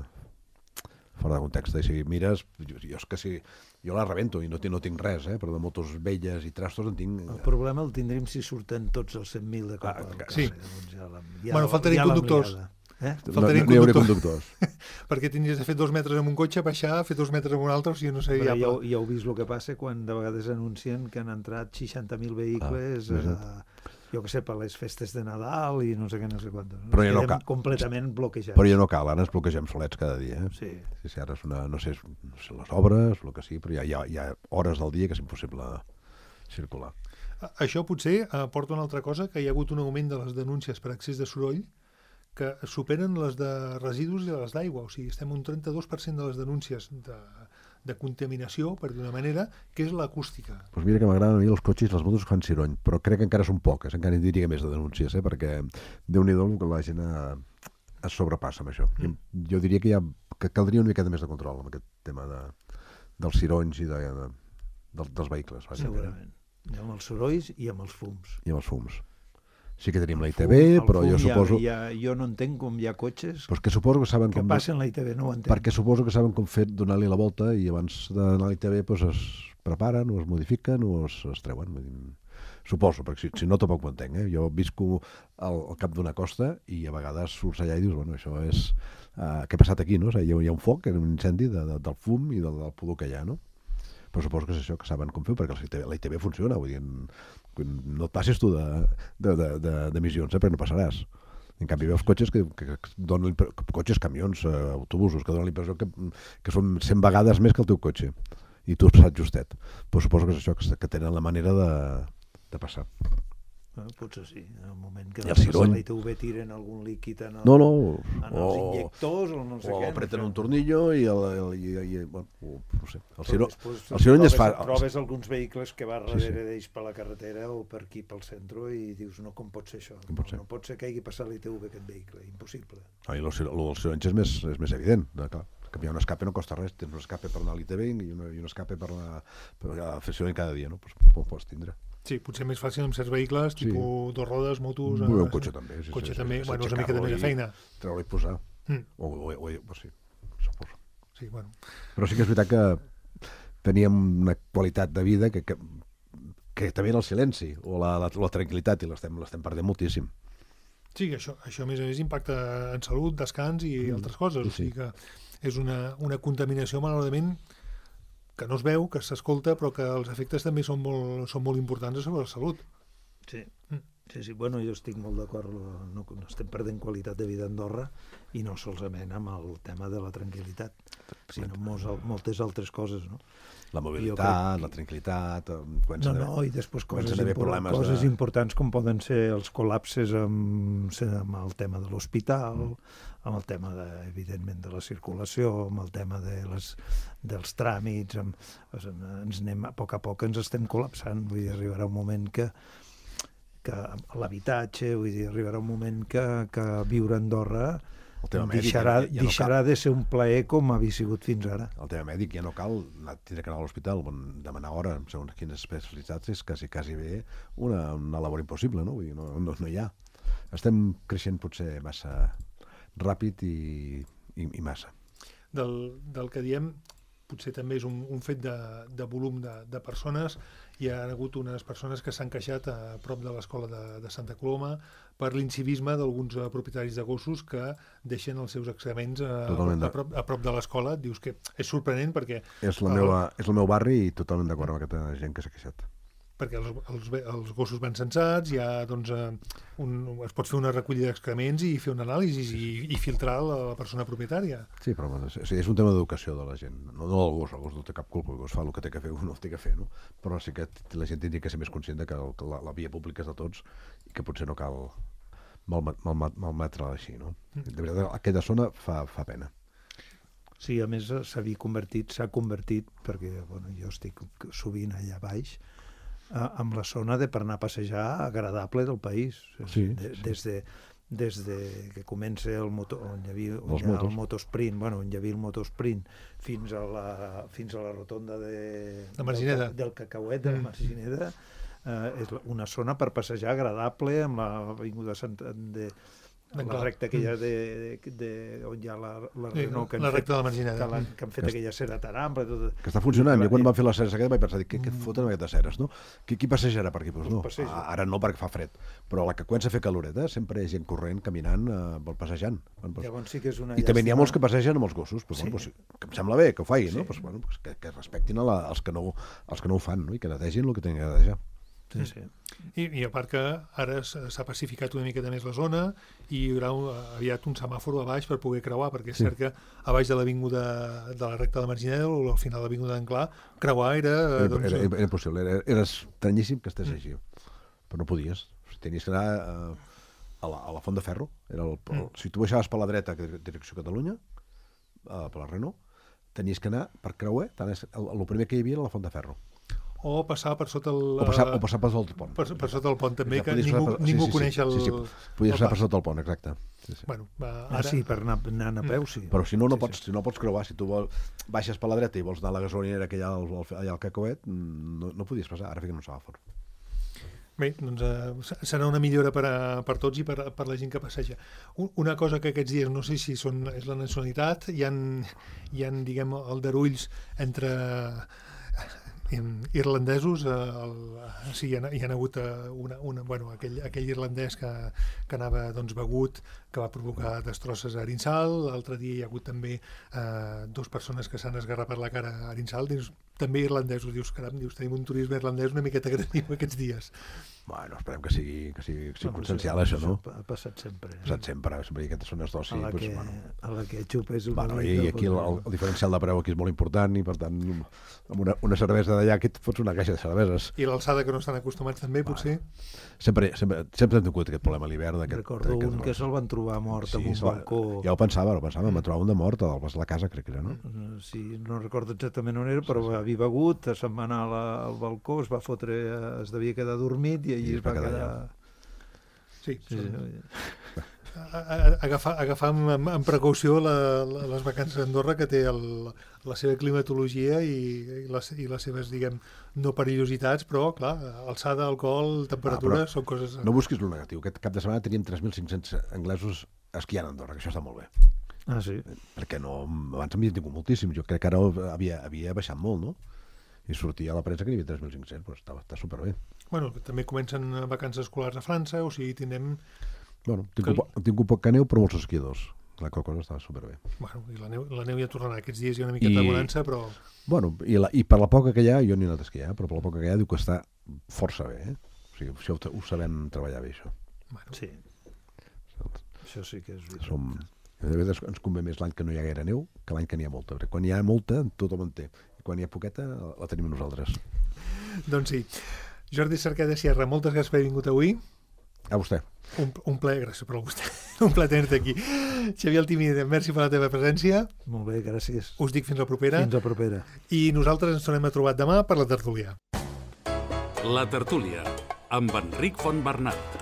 fora de context, i si mires, jo, jo és que si jo la rebento i no, no tinc res, eh, però de motos velles i trastos en tinc... El problema el tindrim si surten tots els cent mil de cop. Ah, sí. Doncs ja la, ja bueno, faltarien conductors. Eh? Faltarien no, no conductors. conductors. Perquè tindries de fer dos metres amb un cotxe, baixar, fer dos metres amb un altre, o sigui, no sé... Ja, ja, ja heu vist el que passa quan de vegades anuncien que han entrat seixanta mil vehicles... Ah, eh, jo que sé, per les festes de Nadal i no sé què, no sé quant. No? Però ja no cal. Completament bloquejats. Però ja no cal, ara ens bloquegem solets cada dia. Eh? Sí. Sí, sí, ara és una, no sé, no sé, les obres, el que sí, però hi ha, hi, ha, hi ha hores del dia que és impossible circular. Això potser eh, porta una altra cosa, que hi ha hagut un augment de les denúncies per excés de soroll que superen les de residus i les d'aigua. O sigui, estem un trenta-dos per cent de les denúncies de, de contaminació, per d'una manera, que és l'acústica. Doncs pues mira que m'agraden a mi els cotxes i les motos que fan ciroll, però crec que encara són poques, encara en diria més de denúncies, eh? Perquè Déu-n'hi-do que la gent a, es sobrepassa amb això. Mm. Jo diria que, ha, que caldria una miqueta més de control amb aquest tema de, dels cironys i de, de, de, dels vehicles. Segurament. I amb els sorolls i amb els fums. I amb els fums. Sí que tenim la I T V, però jo suposo... Ja, ja, jo no entenc com hi ha cotxes pues que, suposo que, saben que com passen la I T V, no ho entenc. Perquè suposo que saben com fer donar-li la volta i abans d'anar a la I T V pues, es preparen o es modifiquen o es, es treuen. Suposo, perquè si, si no tampoc ho entenc. Eh? Jo visco al, al cap d'una costa i a vegades surts allà i dius, bueno, això és... Uh, què ha passat aquí, no? O sigui, hi, ha, hi ha un foc, un incendi de, de, del fum i del, del pudor que hi ha, no? Però suposo que és això, que saben com fer, perquè la I T V, la I T V funciona, vull dir, No et passis tu d'emissions, eh, perquè no passaràs. En canvi, veus cotxes que, que, que donen cotxes, camions, eh, autobusos, que donen l'impressió que, que són cent vegades més que el teu cotxe. I tu has passat justet. Però suposo que és això, que, que tenen la manera de, de passar. Bueno, potser sí, en el moment que el cirony. la I T V tiren algun líquid en, el, no, no. en els injectors o no sé o què. O apreten no sé. un tornillo i, el, el, i, i bueno, no sé. El, ciro, després, el cirony es fa... Trobes alguns vehicles que va darrere sí, sí. d'ells per la carretera o per aquí pel centre i dius, no, com pot ser això? Com pot ser? No, no pot ser que hagi passat l'I T V aquest vehicle, impossible. Ah, I el dels cironys és més, és més evident, de, clar. Canviar un escape no costa res, tens un escape per anar a l'I T V i, una, i un escape per, la, per la fer cirony cada dia, no? Pues, ho pots tindre. Sí, potser més fàcil amb certs vehicles, Sí. tipus dos rodes, motos... Vull eh, un cotxe també. Sí, cotxe sí, també, sí, bueno, és una mica aixecar-lo també de i feina. Treure-lo i posar. Mm. O, o, o, o, sí, suposo. Sí, bueno. Però sí que és veritat que teníem una qualitat de vida que, que, que també era el silenci o la, la, la tranquil·litat i l'estem l'estem perdent moltíssim. Sí, que això, això a més a més impacta en salut, descans i Mm, altres coses. sí, sí. O sigui que és una, una contaminació, malauradament, que no es veu, que s'escolta, però que els efectes també són molt, són molt importants sobre la salut. Sí. Mm. Sí, sí, bueno, jo estic molt d'acord, no, no estem perdent qualitat de vida a Andorra i no solament amb el tema de la tranquil·litat, sinó mos, moltes altres coses, no? La mobilitat, crec... la tranquil·litat... No, no, i després coses, import, coses de... importants com poden ser els col·lapses amb, amb el tema de l'hospital, mm. amb el tema, de, evidentment, de la circulació, amb el tema de les, dels tràmits, amb, ens anem, a poc a poc ens estem col·lapsant, vull dir, arribarà un moment que que l'habitatge, vull dir, arribarà un moment que, que viure a Andorra deixarà, mèdic, ja, ja no deixarà de ser un plaer com havia sigut fins ara. El tema mèdic ja no cal anar, tindre que anar a l'hospital, demanar hora, segons quines especialitats, és quasi, quasi bé una, una labor impossible, no? Vull dir, no, no, no hi ha. Estem creixent potser massa ràpid i, i, i massa. Del, del que diem, potser també és un, un fet de, de volum de, de persones. Hi ha hagut unes persones que s'han queixat a prop de l'escola de, de Santa Coloma per l'incivisme d'alguns uh, propietaris de gossos que deixen els seus excrements uh, a, a, prop, a prop de l'escola. Dius que és sorprenent perquè... És, la meva, és el meu barri i totalment d'acord amb aquesta gent que s'ha queixat. Perquè els, els, els gossos van censats, hi ha, doncs, un, es pot fer una recollida d'excrements i fer una anàlisi i, i filtrar la, la persona propietària. Sí, però és, és un tema d'educació de la gent. No, no el gos, el gos no té cap culpa, el gos fa el que té que fer, no el té que fer, no? Però sí que la gent tindria que ser més conscient de que, el, que la, la via pública és de tots i que potser no cal malmetre-la mal, mal, mal així, no? De veritat, aquella zona fa, fa pena. Sí, a més s'havia convertit, s'ha convertit, perquè bueno, jo estic sovint allà baix, amb la zona de per anar a passejar agradable del país. Sí, de, sí. Des, de, des de que comença el, moto, on hi havia, on Els hi ha motos. el motosprint, bueno, on hi havia el motosprint fins a la, fins a la rotonda de, de Margineda. del, del Cacauet, de la Margineda, eh, és una zona per passejar agradable amb l'avinguda Santa... De, la recta aquella de, de, de, on hi ha la, la Renault que, la fet, recta de la Margineda. que, que han fet que aquella cera tan ampla tot... que està funcionant, jo quan van fer les ceres aquestes vaig pensar, què, què foten aquestes ceres, no? Qui, qui passejarà per aquí? Pues no, ara no perquè fa fred, però a la que comença a fer caloreta sempre hi ha gent corrent, caminant, eh, passejant. Bueno, pues... Llavors sí que és una I també n'hi ha molts que passegen amb els gossos, pues, sí. bueno, pues, que em sembla bé que ho facin, sí. no? Pues, bueno, pues, que, que respectin a la, els, que no, els que no ho fan, no? I que netegin el que tenen que netejar. Sí, sí. I, I a part que ara s'ha pacificat una miqueta més la zona i hi haurà un, aviat un semàfor a baix per poder creuar, perquè és sí. cert que a baix de l'avinguda de la recta de la Margineda o al final de l'avinguda d'Anclà, creuar era... Era, doncs... era, era impossible, era, era estranyíssim que estigués així, però no podies. Tenies que anar eh, a, la, a la Font de Ferro. Era el, el, mm. Si tu baixaves per la dreta, direcció Catalunya, eh, per la Renault, tenies que anar per creuer, tant és, el, el primer que hi havia era la Font de Ferro. O passar per sota el... O passar, o passar per sota el pont. Per, per sota el pont, també, exacte, que ningú, per, ningú sí, sí, coneix el... Sí, sí, sí. Podies passar per sota el pont, exacte. Sí, sí. Bueno, va, ara... Ah, sí, per anar, anar a peu, sí. Però si no, no, sí, pots, sí. si no pots creuar, si tu vol, baixes per la dreta i vols anar a la gasolinera que hi ha al, allà al Cacauet, no, no podies passar, ara fiquen un semàfor. Bé, doncs eh, serà una millora per, a, per tots i per, per la gent que passeja. Una cosa que aquests dies, no sé si són, és la nacionalitat, hi ha, hi ha diguem, aldarulls entre... irlandesos, eh, el, sí, hi ha, hi ha hagut eh, una, una, bueno, aquell, aquell irlandès que, que anava doncs, begut, que va provocar destrosses a Arinsal. L'altre dia hi ha hagut també eh, dues persones que s'han esgarrapat la cara a Arinsal. Dius, també irlandesos, dius, caram, dius, tenim un turisme irlandès una miqueta agressiu aquests dies. Bueno, esperem que sigui, que sigui circumstancial, no, això, no? Ha passat sempre. Ha passat sempre, sempre hi ha aquestes zones d'oci. A la Doncs, que, bueno. a la que xupes una Bueno, mica, i aquí el, el, el diferencial de preu aquí és molt important i, per tant, amb una, una cervesa d'allà aquí et fots una caixa de cerveses. I l'alçada que no estan acostumats també, potser? Sempre, sempre, sempre hem tingut aquest problema a l'hivern. Recordo un que se'l van trobar mort en un balcó. Ja ho pensava, ho pensava, em va trobar un de mort al Pas de la Casa, crec que era, no? Sí, no recordo exactament on era, però havia begut, se'n va anar al balcó, es va fotre, es devia quedar dormit i allí es va quedar... Sí, sí, sí. Agafar, agafar amb, amb, amb precaució la, la, les vacances a Andorra, que té el, la seva climatologia i, i, les, i les seves, diguem, no perillositats, però, clar, alçada, alcohol, temperatura, ah, són coses... No busquis lo negatiu. Aquest cap de setmana teníem tres mil cinc-cents anglesos esquiant a Andorra, que això està molt bé. Ah, sí? Perquè no, abans havia tingut moltíssim. Jo crec que ara havia, havia baixat molt, no? I sortia a la premsa que hi havia tres mil cinc-cents, però està, està superbé. Bueno, també comencen vacances escolars a França, o sigui, tindrem... Bueno, tinc, que... un, tinc un poc que neu, però molts esquiadors. La qual cosa està superbé. Bueno, i la neu, la neu ja tornarà. Aquests dies hi ha una miqueta I... de bonança, però... Bueno, i, la, i per la poca que hi ha, jo n'he anat a esquiar, però per la poca que hi ha diu que està força bé, eh? O sigui, això ho, ho sabem treballar bé, això. Bueno, sí. Això sí que és veritat. Som... De vegades ens convé més l'any que no hi ha gaire neu que l'any que n'hi ha molta. Perquè quan hi ha molta, tothom en té. I quan hi ha poqueta, la tenim nosaltres. Doncs sí. Jordi Cerqueda Sierra, moltes gràcies per haver vingut avui. A vostè. Un, un ple, gràcies per vostè. Un ple tenir-te aquí. Xavier Altimí, merci per la teva presència. Molt bé, gràcies. Us dic fins la propera. Fins la propera. I nosaltres ens tornem a trobar demà per la tertúlia. La tertúlia, amb Enric Fontbernat.